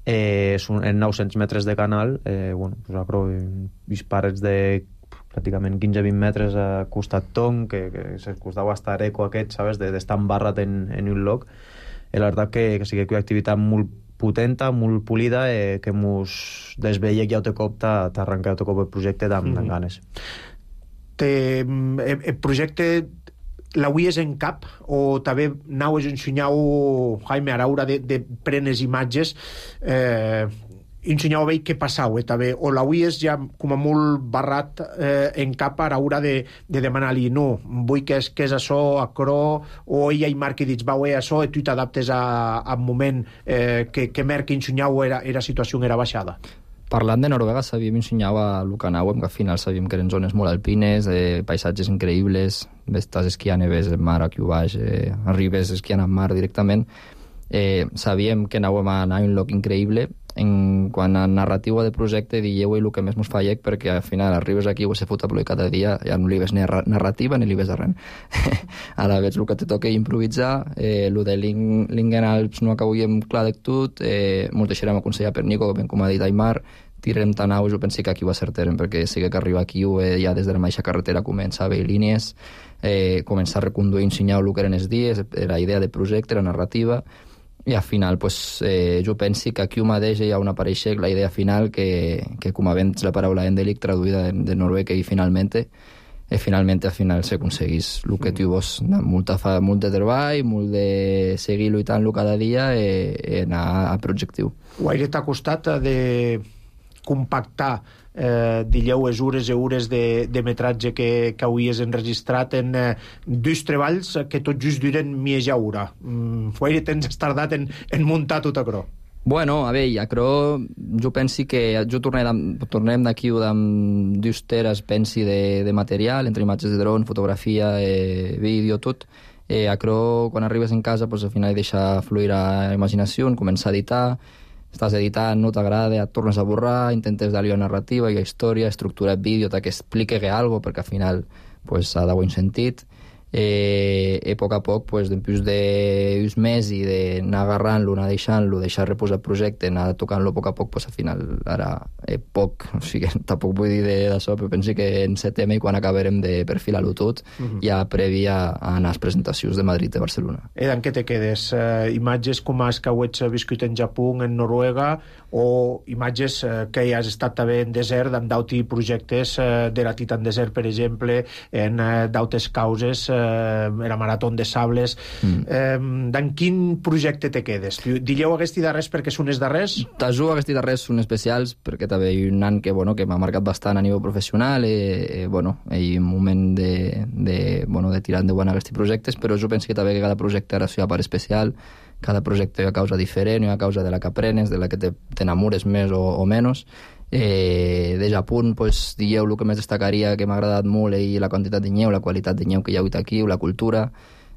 en 900 metres de canal, bueno, pues acro uns parets de pràcticament 15-20 metres a costat ton, que se costava estar eco aquest, sabes, d'estar embarrat en un lloc. La veritat que sí que hi ha activitat molt potenta, molt polida, que mos desveia que ja te cop t'arrenca el projecte amb ganes. El projecte l'auies en cap o també naues ensenyau Jaime Araura de prenes imatges ensenyau a veure què passau també, o l'auies ja com a molt barrat en cap a l'hora de demanar-li no, vull que és això, a Cró, o ella i marqui dits, vau això, i tu t'adaptes al moment que merqui ensenyau la situació era baixada. Parlant de Noruega, sabíem ensenyar a Lukanauem, que al final sabíem que eren zones molt alpines, paisatges increïbles, estàs esquiant i ves el mar aquí baix, arribes esquiant al mar directament. Sabíem que anàvem a anar a un lloc increïble. Quan a narrativa de projecte dieu el que més mos fallec, perquè al final arribes aquí o se fot a plorar cada dia, ja no li ves ni narrativa ni li ves a res. Ara veig el que te toca improvisar, el de Lingen Alps no acabem clar de tot, molt deixarem aconsellar per Nico, com ha dit Aymar, tirem tan aus, jo penso que aquí va ser terreny, perquè sí que arriba aquí ja des de la mateixa carretera comença a veure línies, començar a reconduir i ensenyar el que eren els dies, la idea de projecte, la narrativa, i al final pues, jo penso que aquí mateix hi ha una apareixer la idea final que com a vens la paraula endèlic traduïda de noruec i finalment al final s'aconseguís el que tu vols, molt de treball, molt de seguir lluitant cada dia i anar a projectiu. Guaire t'ha costat de compactar dilleu hores i hores de metratge que hauries enregistrat en 2 treballs que tot just duren mitja hora. Guaire tens tardat en muntar tot a Cró. Bueno, a veure, a Cró jo penso que jo tornem d'aquí amb 2 teres pensi de material, entre imatges de dron, fotografia, vídeo, tot. A Cró, quan arribes en casa, pues, al final deixa fluir la imaginació, començar a editar, estàs editant, no t'agrada, et tornes a borrar, intentes dar-li una narrativa, hi ha història, estructura el vídeo, que explique alguna cosa, perquè al final pues, ha d'avoir un sentit. I a poc a poc, pues, després d'uns mesos i d'anar agarrant-lo, anar deixant-lo, deixar reposar el projecte, anar tocant-lo a poc a poc, pues, al final ara poc, o sigui, tampoc vull dir d'això, però penso que en setembre, quan acabarem de perfilar-lo tot, ja previ a anar a les presentacions de Madrid i Barcelona. En què te quedes? Imatges com has que has viscut en Japó, en Noruega, o imatges que has estat també en desert, amb d'autres projectes de la Titan Desert, per exemple, en d'altres causes, era Marató de Sables. En quin projecte te quedes? Dilleu aquests darrers perquè són els darrers? T'ajudo aquests darrers són especials perquè també hi ha un any que m'ha marcat bastant a nivell professional i un moment de tirar endavant aquests projectes, però jo penso que també que cada projecte era seva part especial cada projecte hi ha causa diferent, hi ha causa de la que aprenes, de la que t'enamores més o menys. De Japó, pues, dieu el que més destacaria que m'ha agradat molt i la quantitat de neu, la qualitat de neu que hi ha hagut aquí, la cultura.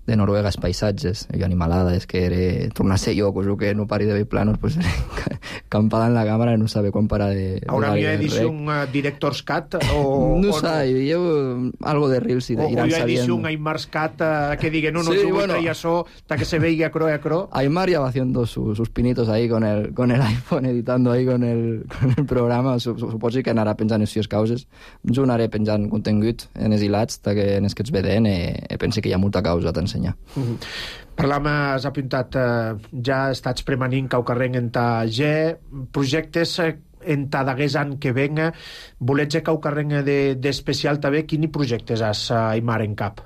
De Noruega, els paisatges, jo animalada, és que era tornar a ser jo, cosa que no pari de veure planos, pues, campada en la càmera, no sabe quan parar de... Haurà hi edició un Director's Cut? O, no sé, jo algo de Reels i Iran sabien... O hi ha edició un Aymar's Cut que diga, no, sí, bueno, y eso, hasta que se veiga cro a cro. Aymar ya va haciendo sus pinitos ahí con el iPhone, editando ahí con el programa, suposo que anarà pensant en sis causes. Jo anaré pensant contingut en els hilats, que en els que ets vedent, penso que hi ha molta causa t'ensenyar. Parlam, has apuntat, ja estats premanint caucarrenc en ta G, projectes en ta d'agués any que venga, volets caucarrenc d'especial també, quins projectes has, Aymar, en cap?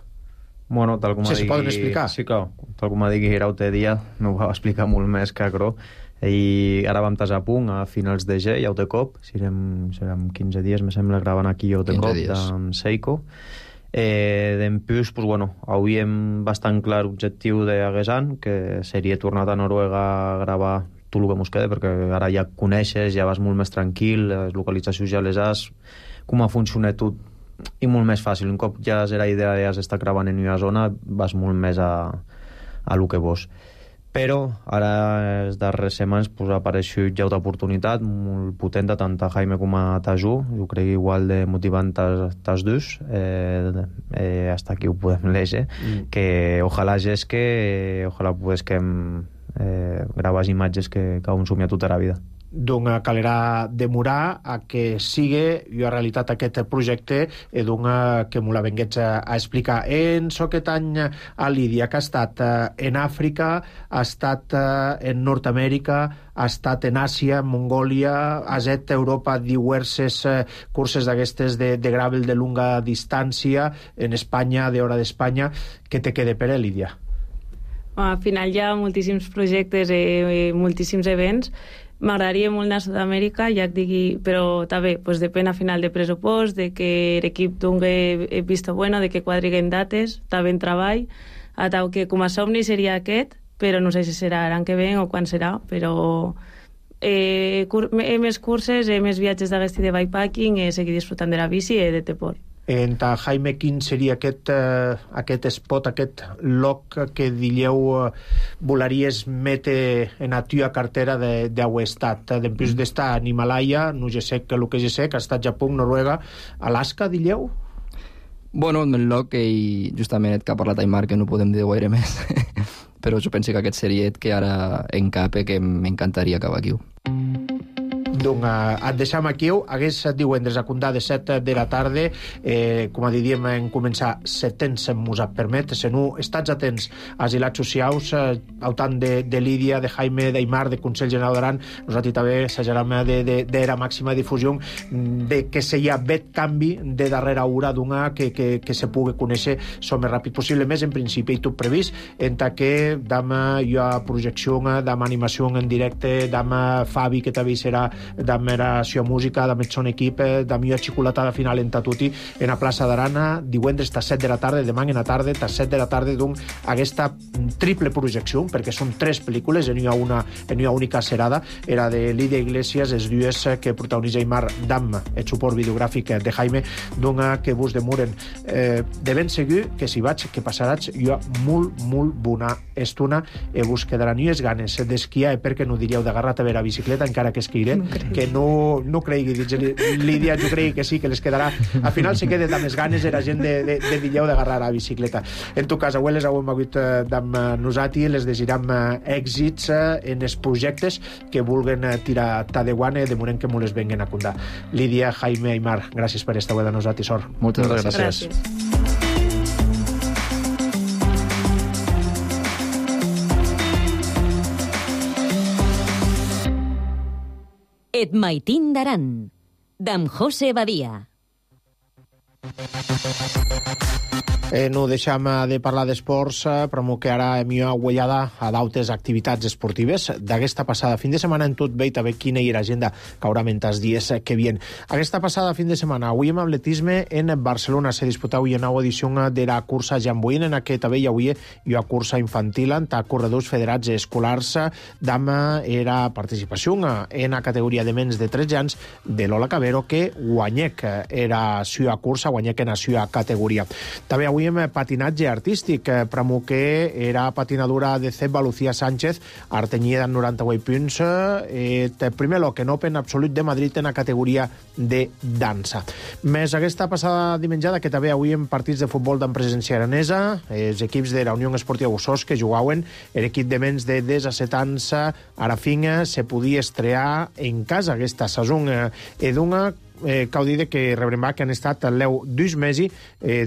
Bueno, tal com se poden explicar? Sí, clar, tal com digui Giraute dia, no ho va explicar molt més que Acro, i ara vam tasar a punt a finals de G, ja ho té cop, serem 15 dies, me sembla, gravant aquí ja ho té cop, d'en Seiko. D'en plus, pues, bueno, avui hem bastant clar objectiu d'Aguesan, que seria tornar a Noruega a gravar tot el que mos queda, perquè ara ja coneixes, ja vas molt més tranquil, les localitzacions ja les has, com ha funcionat tot, i molt més fàcil. Un cop ja és la idea d'estar gravant en una zona, vas molt més a lo que vols. Però ara, els darrers setmanes, pues, ha apareixut ja una oportunitat molt potent tant a Jaime com a Tajú, jo crec igual de motivant tas dos, hasta aquí ho podem llegir, que ojalà és que ojalà pues, que graves imatges que han somiat tota la vida. Doncs calerà demorar a que sigui jo realitat aquest projecte que m'ho la venguets a explicar. En aquest any a Lídia, que ha estat en Àfrica, ha estat en Nord-Amèrica, ha estat en Àsia, Mongòlia, ha estat a Europa diverses curses d'aquestes de gravel de longa distància, en Espanya, d'hora d'Espanya. Què te queda per a Lídia? Al final hi ha moltíssims projectes i moltíssims events. M'agradaria molt anar a Sud-amèrica, ja et digui, però també pues, depèn al final de pressupost, de que l'equip tingui visto bueno, de que quadriguen dates, també en treball, atau que com a somni seria aquest, però no sé si serà l'any que ve o quan serà, però més curses, més viatges d'aquest de bikepacking, seguir disfrutant de la bici i de Teport. En ta Jaime, quin seria aquest spot, aquest lloc que dieu volaries mete en la tua cartera d'heu estat? Després d'estar en Himalaya, no ja sé que el que ja sé, que ha estat Japó, Noruega, Alaska, dieu? Bueno, el lloc que justament que ha parlat Aymar, que no podem dir gaire més, però jo penso que aquest seria el que ara encape, que m'encantaria acabar aquí. Donc, et deixam aquí. Hagués divendres a comptar de 7 de la tarda. Com a diríem, en començar setens mos permet. Se no, estats atents als hilats socials, al tant de Lídia, de Jaime, d'Aymar, de Consell General d'Aran. Nosaltres també s'ajaram d'era màxima difusió, de que se hi ha vet canvi de darrera hora d'una que se pugui conèixer el més ràpid possible. Més en principi, i tot previst, en que demà hi ha projecció, demà animació en directe, demà Fabi, que també serà damb era sua música, damb eth son equip, damb ua xicolatada final en Tatuti en la plaça d'Arana, divendres tas 7 de la tarda, demà en la tarda, tas 7 de la tarda, doncs aquesta triple projecció, perquè són 3 pel·lícules, en una única serada, era de Lídia Iglesias, els dues que protagonitza Aymar damb el suport videogràfic de Jaime, doncs que vos demoren. De ben segur que si vaig, que passaràs jo molt bona estona i vos quedaran ues ganes d'esquiar, i perquè no diríeu d'agarrar a veure la bicicleta, encara que esquiré, que no cregui, Lídia, jo crec que sí, que les quedarà. Al final se queda amb les ganes de la gent de diríeu d'agarrar la bicicleta. En tot cas, avui les hem hagut amb nosaltres, les desitjam èxits en els projectes que vulguen tirar Tadewan, de moment que m'ho les venguen a comptar. Lídia, Jaime, Aymar, gràcies per estar avui de nosaltres, sort. Moltes gràcies. Et maitin d'Aran, d'en José Badia. No deixem de parlar d'esports, però que ara hem guanyada a d'altres activitats esportives. D'aquesta passada fin de setmana en tot bé, també quina hi era agenda que haurà mentre els dies que vien. Aquesta passada fin de setmana, avui en atletisme en Barcelona se disputà avui una nova edició de la cursa Jambuïn, en aquesta també hi havia una cursa infantil entre corredors federats escolars d'ama era participació en la categoria de menys de 13 anys de Lola Cabero, que guanyec era sua cursa, guanyec en la sua categoria. També avui en patinatge artístic, pramo que era patinadora de Ceba Lucía Sánchez, artenyida en 98 punts, primer loc en Open Absolut de Madrid en la categoria de dansa. Més aquesta passada dimenjada, que també avui en partits de futbol d'empresència aranesa, els equips de la Unió Esportiva Bussos que jugaven, l'equip de menys de 17 anys ara fin se podia estrear en casa aquesta saison d'una cal dir que rebrem que han estat l'eu 2 mesos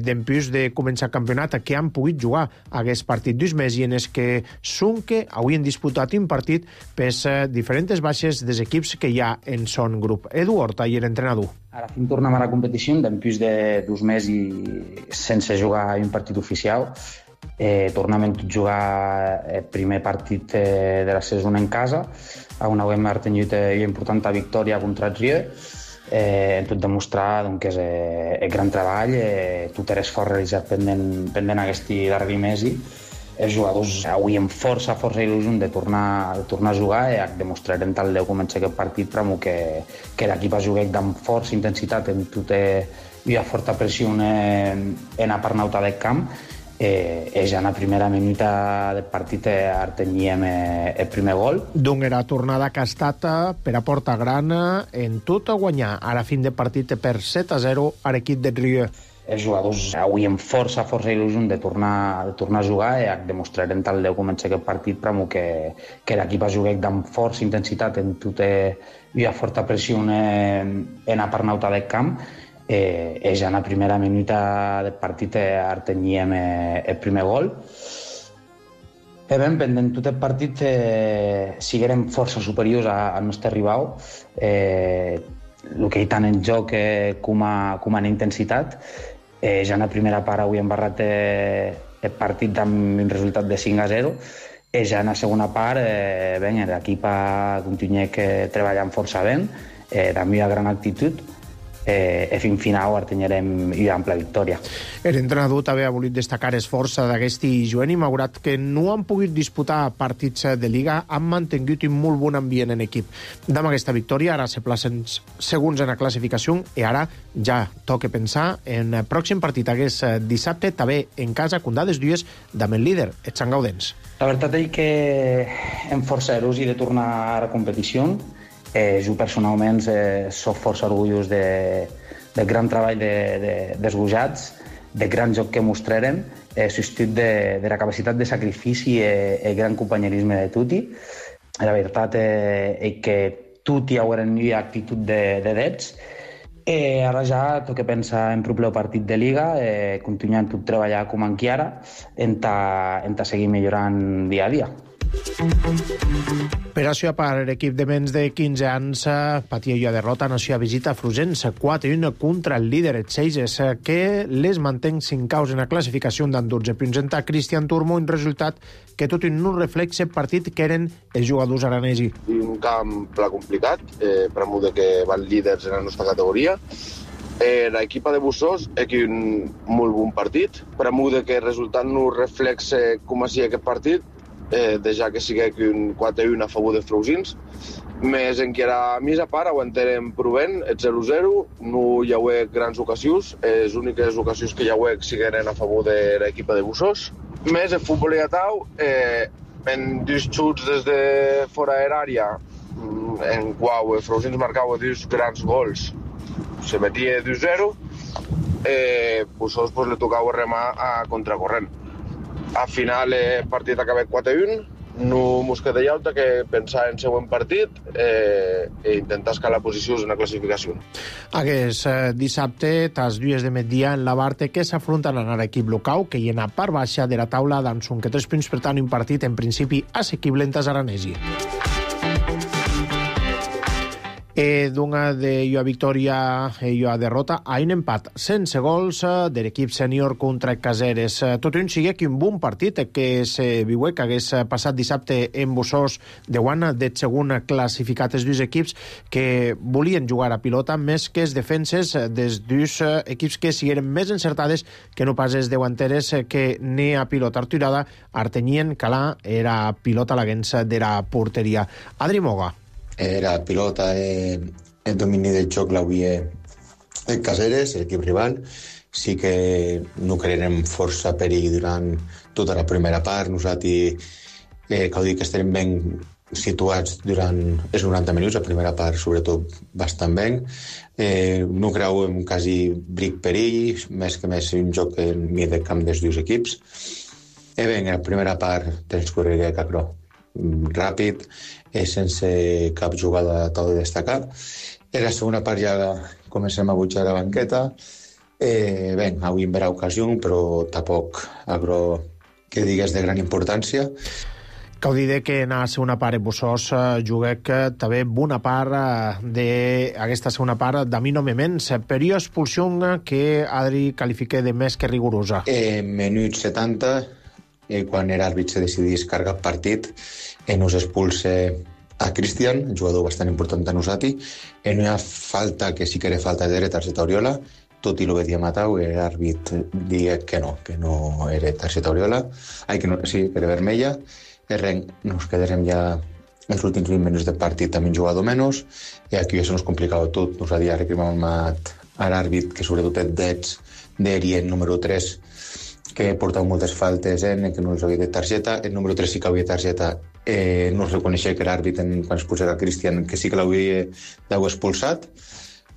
d'empús de començar el campionat, que han pogut jugar a aquest partit 2 mesos en els que són que avui han disputat un partit per diferents baixes dels equips que hi ha en son grup. Edu Horta, i l'entrenador. Ara fin tornem a la competició d'empús de 2 mesos sense jugar un partit oficial. Tornem a jugar el primer partit de la saison en casa, on hem tingut una important victòria contra el Rieu. Tot demostrar que és el gran treball, tot l'esforç realitzat pendent aquest darrer mes. Els jugadors avui amb força il·lusió de tornar a jugar i demostrarem tal de començar aquest partit però que l'equip ha jugat amb força intensitat en tota una forta pressió en la part nauta del camp. Ja en la primera minuta del partit artenyíem el primer gol. Doncs era tornada que ha estat per a Porta Gran en tot a guanyar a la fin de partit per 7-0 a l'equip de Rieu. Els jugadors avui amb força il·lusió de tornar a jugar i demostrarem tal de començar aquest partit però que l'equip ha jugat amb força intensitat en tota una forta pressió en la part nauta del camp. Ja en la primera minuta del partit artenyíem el primer gol. Ben, pendent tot el partit siguérem força superiors al nostre rival, el que hi tant en joc com en intensitat. Ja en la primera part avui hem barrat el partit amb un resultat de 5-0. Ja en la segona part l'equip continua treballant força bé, amb una gran actitud, i fins final artenyarem una ampla victòria. L'entrenador també ha volit destacar esforç d'aquest juvenil, malgrat que no han pogut disputar partits de Liga, han mantingut un molt bon ambient en equip. Amb aquesta victòria ara se placen segons en la classificació i ara ja toca pensar en el pròxim partit aquest dissabte, també en casa, condades dues, amb el líder, el Sant Gaudens. La veritat és que hem força il·lusió de tornar a la competició. Jo personalment soc força orgullós del gran treball dels gojats, del gran joc que mostrarem, substitut de la capacitat de sacrifici i el gran companyerisme de tutti. La veritat és que tutti haurem una actitud de drets. Ara ja toca pensar en proper partit de Liga, continuant tot treballar com encara, en seguir millorant dia a dia. Per això, per l'equip de menys de 15 anys, patia una derrota en la seva visita a Frugents, 4-1 contra el líder, els Seixes, que les mantén 5 caus en la classificació d'en 12 punts. En Cristian Turmo, un resultat que tot i no reflexa el partit que eren els jugadors aranesi. Un camp pla complicat, per molt que van líders en la nostra categoria. L'equip de Bussos és un molt bon partit, per molt que el resultat no reflexa com ha sigut aquest partit, ja que sigui un 4-1 a favor de Freusins. Més encara més a part, aguantarem provent el 0-0, no hi ha grans ocasions, les úniques ocasions que hi ha siguen a favor de l'equip de Bussos. Més el futbol i atau, en 2 xuts des de fora de l'àrea, en qual el Freusins marcava 2 grans gols, se metia 2-0, Bussos le tocava remar a contracorrent. Al final el partit ha acabat 4-1, no mos queda altre que pensar en el següent partit i intentar escalar posicions en la classificació. Aquest dissabte, tras 2 de migdia, en la Barte, que s'afronten a l'equip local, que hi ha a part baixa de la taula d'en són que 3 punts, per tant, un partit en principi assequible en Aranesi. D'una de jo victòria i jo derrota a un empat sense gols de l'equip sènior contra Caseres. Tot un sigue que un bon partit que se viu que hagués passat dissabte en Bossós de guana de segon classificat els dos equips que volien jugar a pilota més que els defenses dels dos equips que sigueren més encertades que no pas els deguanteres que ni a pilota arturada artenyien calà era pilota a la guença de la porteria. Adri Moga. Era pilota el domini del joc l'havia el Caseres, l'equip rival. Sí que no crearem força perill durant tota la primera part. Nosaltres, cal dir que estem ben situats durant els 90 minuts, la primera part sobretot bastant ben. No creiem quasi bric perill, més que més un joc en mig de camp dels dos equips. En la primera part transcorreria Cacró ràpid, sense cap jugada tal de destacar. En la segona part ja comencem a butjar la banqueta. Avui en verà ocasió, però tampoc agro que digués de gran importància. Cal dir que en la segona part en Bossós juguec també bona part d'aquesta segona part d'Amino Memens, per expulsió que Adri qualifica de més que rigorosa. Minut 70, quan l'àrbit se decidís carregar el partit, nos expulsa a Cristian, jugador bastant important de nosaltres. No hi ha falta, que sí que era falta de targeta Oriola, tot i el que havia matat, l'àrbit deia que no era targeta Oriola, sí, que era vermella. Nos quedarem ja els últims 20 minuts de partit amb un jugador menys, i aquí ja se nos complicava tot. Nos havia recriminat a l'àrbit, que sobretot el dets d'Erien número 3, que portava moltes faltes, que no els havia de targeta. El número 3 sí que havia targeta, no es reconeixia que l'àrbit, quan es posava Cristian, que sí que l'hauria d'haver expulsat.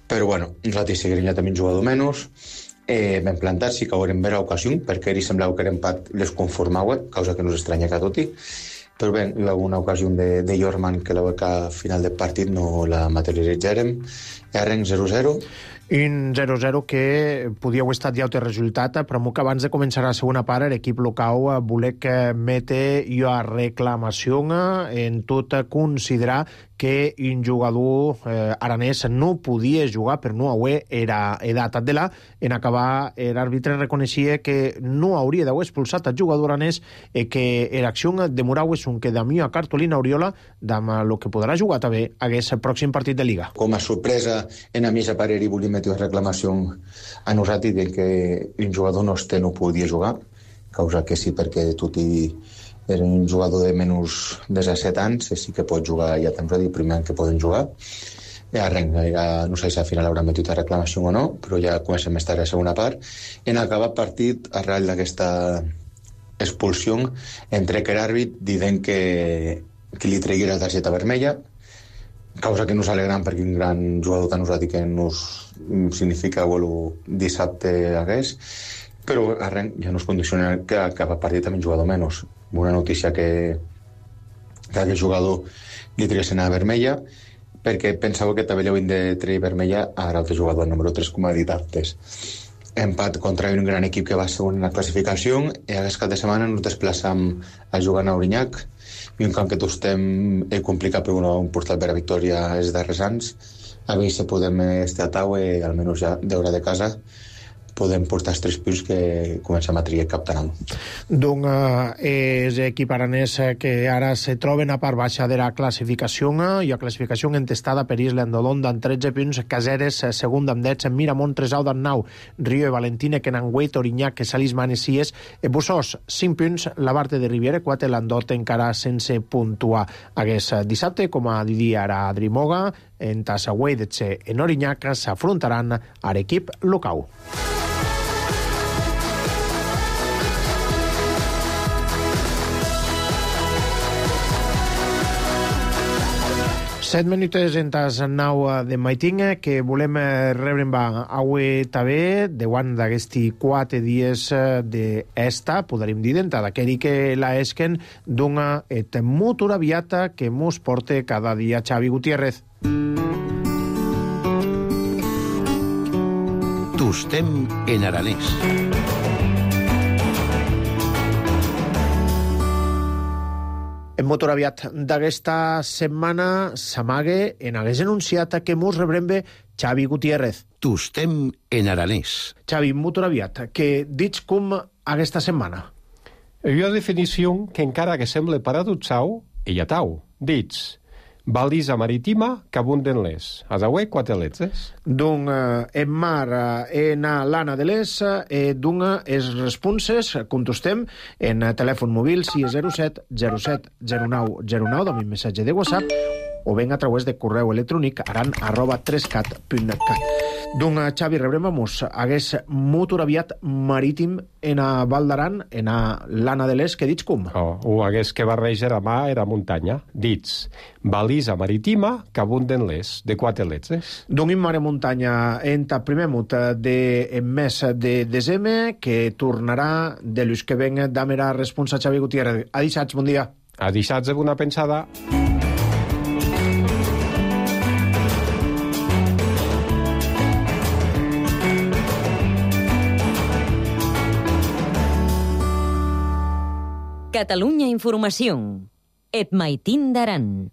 Però bueno, nosaltres seguirem ja també un jugador menys. Ben plantat, sí que haurem vera ocasió, perquè ell semblava que l'empat les conformava, causa que no s'estranya que tot i. Però bé, hi va una ocasió de Jorman que la beca final del partit no la materialitzarem. Arrenc 0-0. Un 0-0 que podia haver estat ja el resultat, però que abans de començar la segona part l'equip local volec mete a reclamació en tot considerar que un jugador aranès no podia jugar per no haver era edat de la. En acabar, l'àrbitre reconeixia que no hauria d'haver expulsat el jugador aranès i que l'acció demorava un que d'amí a Cartolina Oriola amb el que podrà jugar també hagués el pròxim partit de Liga. Com a sorpresa, en a mi a parer i volia metre reclamació a nosaltres de que un jugador nostre no podia jugar, causa que sí, perquè tot i era un jugador de menys de 17 anys, sí que pot jugar ja temps de primer any que poden jugar. No sé si al final haurà metut a reclamació o no, però ja comencem a estar a la segona part. En acabat partit, arrel d'aquesta expulsió, entre que l'àrbit dient que li tregui la targeta vermella, causa que no s'alegram perquè un gran jugador tan usat i que nos significa el dissabte hagués, però arrenc ja no es condiciona que cap partit també un jugador menys. Una notícia que aquell jugador li treguessin a vermella, perquè pensava que també li havien de treure vermella a l'altre jugador, el número 3, com ha dit antes. Empat contra un gran equip que va segon en la classificació, i aquest cap de setmana ens desplaçam a jugar a Auriñac, i un camp que tots estem complicat per un portal per a victòria els darrers anys. A veure si podem estar a taula i almenys ja deure de casa podem portar els 3 punts que comencem a triar cap tanant. Doncs és equip aranès que ara se troben a part baixa de la classificació i la classificació entestada per Isla Endolonda amb 13 punts, Caseres segon amb 10, Miramont Tresau d'en 9, Rio i Valentina, Kenanguet, Oriñac, Salís Manesies, Bossós 5 punts, la Barte de Riviera 4, Landot encara sense puntuar. Hagués dissabte, com a dit ara Adri Moga, en Tassagüey d'Etxe en Oriñac s'afrontaran a l'equip local. Set minutes en tas nau de Maitinga que volem rebre avui també davant d'aquesti 4 dies d'esta, podríem dir, d'entrada, que la esquen d'una motor aviata que mos porta cada dia Xavi Gutiérrez. Tostem en aranès. Motor aviat d'aquesta setmana s'amague en hagués anunciat que mos rebrem bé Xavi Gutiérrez. Tostem en aranès. Xavi, motor aviat, que dits com aquesta setmana? Una definició que encara que sembla paradoxal, ella tau. Dits, balisa marítima que abunden les. Has avui 4 letres. D'un en mar en l'ana de les, d'un es responses, contestem en telèfon mòbil 607 07 09 09, de mi missatge de WhatsApp, o ben a través de correu electrònic aran@3cat.cat. D'un Xavi rebrem a mos hagués motor aviat marítim en a Val d'Aran, en a l'ana de les, que dits com? O hagués que barreja a mà era muntanya. Dits, balisa marítima que abunden les, de 4 letres. D'un in mare muntanya en ta primer mut en mes de desembre, que tornarà de l'ús que ven d'amera responsa Xavi Gutiérrez. A dissats, bon dia. A dissats de bona pensada. Catalunya Informació. Et maitin d'Aran.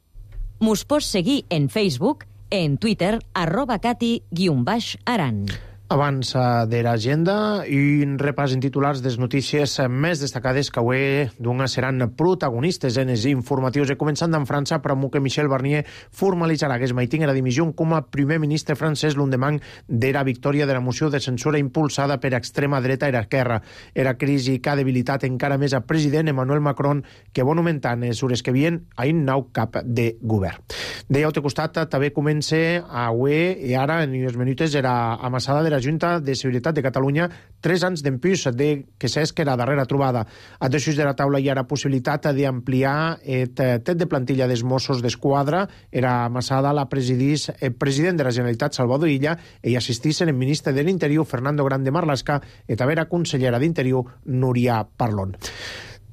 Mos pots seguir en Facebook, en Twitter, @cati_aran. Abans de l'agenda, un repàs en titulars de les notícies més destacades que avui seran protagonistes en els informatius. Començant en França, per que Michel Barnier formalitzarà que es maitinga la dimissió com a primer ministre francès l'endemà de la victòria de la moció de censura impulsada per extrema dreta i esquerra. Era crisi que ha debilitat encara més al president Emmanuel Macron, que va augmentant les hores que vien a un nou cap de govern. De l'altre costat, també comença avui, i ara en uns minuts era amassada de la Junta de Seguretat de Catalunya 3 anys d'empús de que s'esca la darrera trobada. A desús de la taula hi ha la possibilitat d'ampliar el tet de plantilla dels Mossos d'Esquadra. Era amassada la presidís el president de la Generalitat, Salvador Illa, i assistís el ministre de l'Interior, Fernando Grande Marlaska, i també la consellera d'Interior, Núria Parlon.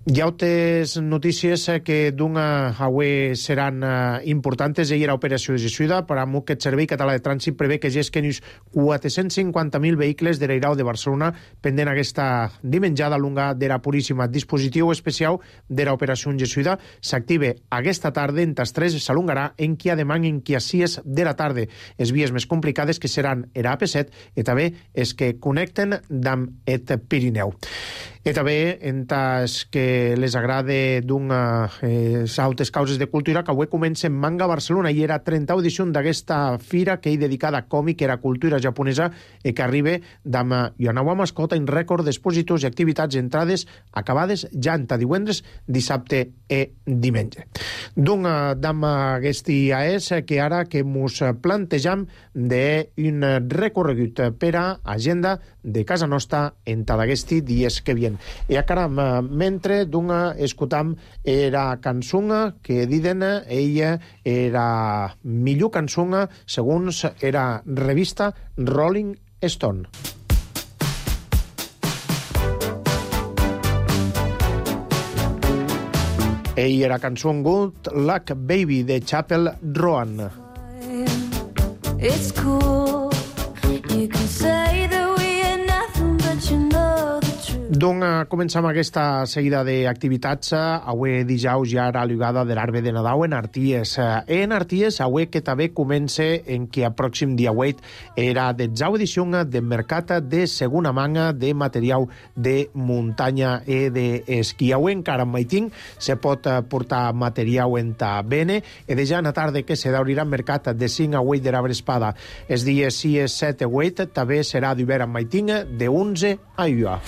Hi ha altres notícies que avui seran importants. Ahir l'operació Jesuïda, per a que el Servei Català de Trànsit prevé que gesquen uns 450.000 vehicles de l'Airau de Barcelona pendent aquesta dimenjada lunga de la Puríssima. Dispositiu especial de l'operació Jesuïda s'activa aquesta tarda en tas 3, s'alungarà en qui a demà en qui a 6 de la tarda. Les vies més complicades que seran l'AP7 i també és que connecten amb el Pirineu. I també, en tas que les agrada altres causes de cultura, que avui comença en Manga Barcelona i era 30 edició d'aquesta fira que hi dedicada a còmic, era cultura japonesa, i que arriba d'ama Yonawa Mascota en rècord d'expositors i activitats entrades acabades ja en divendres, dissabte i diumenge. D'ama aquesta és que ara que mos plantejam d'un recorregut per a agenda de casa nostra en d'aquesti dies que vien. I caram, mentre escoltam era cançó que diden ella era millor cançó segons era revista Rolling Stone. Ell era cançó Good Luck Baby de Chapel Roan. It's cool, you can say that we are nothing but you know the truth. Començam aquesta seguida d'activitats. Avui dijous ja era l'ugada de l'arbre de Nadal en Arties. En Arties, avui que també comença en que a pròxim dia 8 era de jau edició de mercat de segona manga de material de muntanya i d'esquí. Avui encara en Maiting se pot portar material en ta bene i de ja en la tarda que se d'obrirà mercat de 5 a 8 de l'arbre espada. Els dies 6, 7 i 8 també serà d'hivern en Maiting de 11 a 1.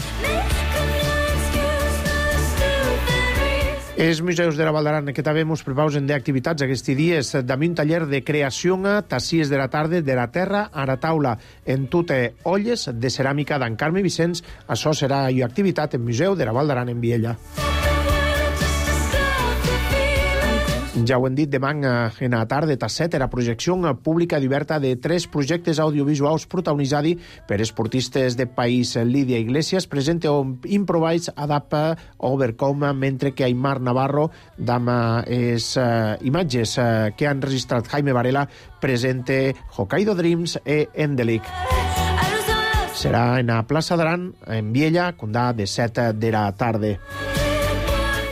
Els museus de la Val d'Aran que també ens prepausen d'activitats aquests dies, també un taller de creació a 6 de la tarda de la terra a la taula en totes olles de ceràmica d'en Carme Vicenç. Això serà una activitat en Museu de la Val d'Aran en Viella. Ja ho hem dit, demà en la tarda a 7 la projecció pública diversa de 3 projectes audiovisuals protagonitzats per esportistes de país. Lídia Iglesias presenta Improvise Adapta Overcome, mentre que Aymar Navarro, amb les imatges que han registrat Jaime Varela, presenta Hokkaido Dreams i Endelic. Serà en la plaça d'Aran, en Viella, condà de 7 de la tarda.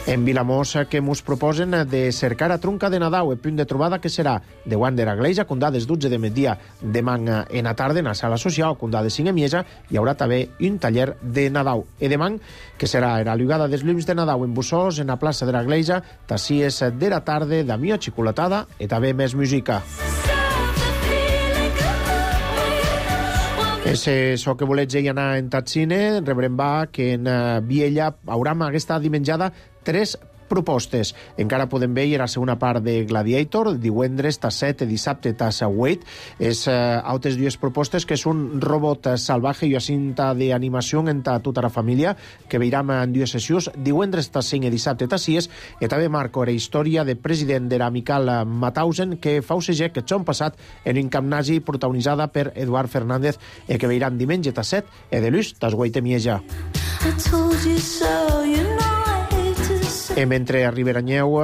En Vilamós, que mos proposen de cercar a Trunca de Nadau, el punt de trobada que serà de Guant de la Gleisa, condà des 12 de migdia demà en la tarda, en la sala social, condà de 5 a Miesa, hi haurà també un taller de Nadau. I demà, que serà la llugada dels llums de Nadau en Bussós, en la plaça de la Gleisa, tassies de la tarda, d'amia xicolatada i també més música. És això que volets anar en Tatsine, rebrem va que en Viella hauram aquesta dimenjada 3 propostes. Encara podem veure la segona part de Gladiator, divendres tas 7 i dissabte tas 8. És altres dues propostes que és un robot salvaje i una cinta d'animació entre tota la família que veiram en dues sessions, divendres tas 5 i dissabte tas 6, i també marco la història de president de l'Amical Mauthausen que fa un segec que s'han passat en un camp nazi protagonitzada per Eduard Fernández i que veiram diumenge tas 7 i de l'ús tas 8 a Mieja. Mentre arribaranyeu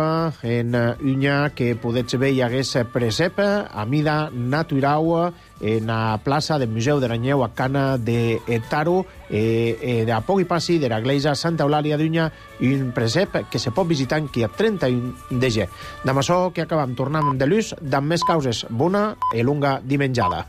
en Unya que podets veure hi hagués presep a mida natural en la plaça del Museu de Ranyeu a Cana de Taro de a poc i passi de la Gleisa Santa Eulàlia d'Unya, un presep que se pot visitar aquí a 31 de gener. D'amb això que acabam tornant de l'ús d'amb més causes. Bona i lunga dimenjada.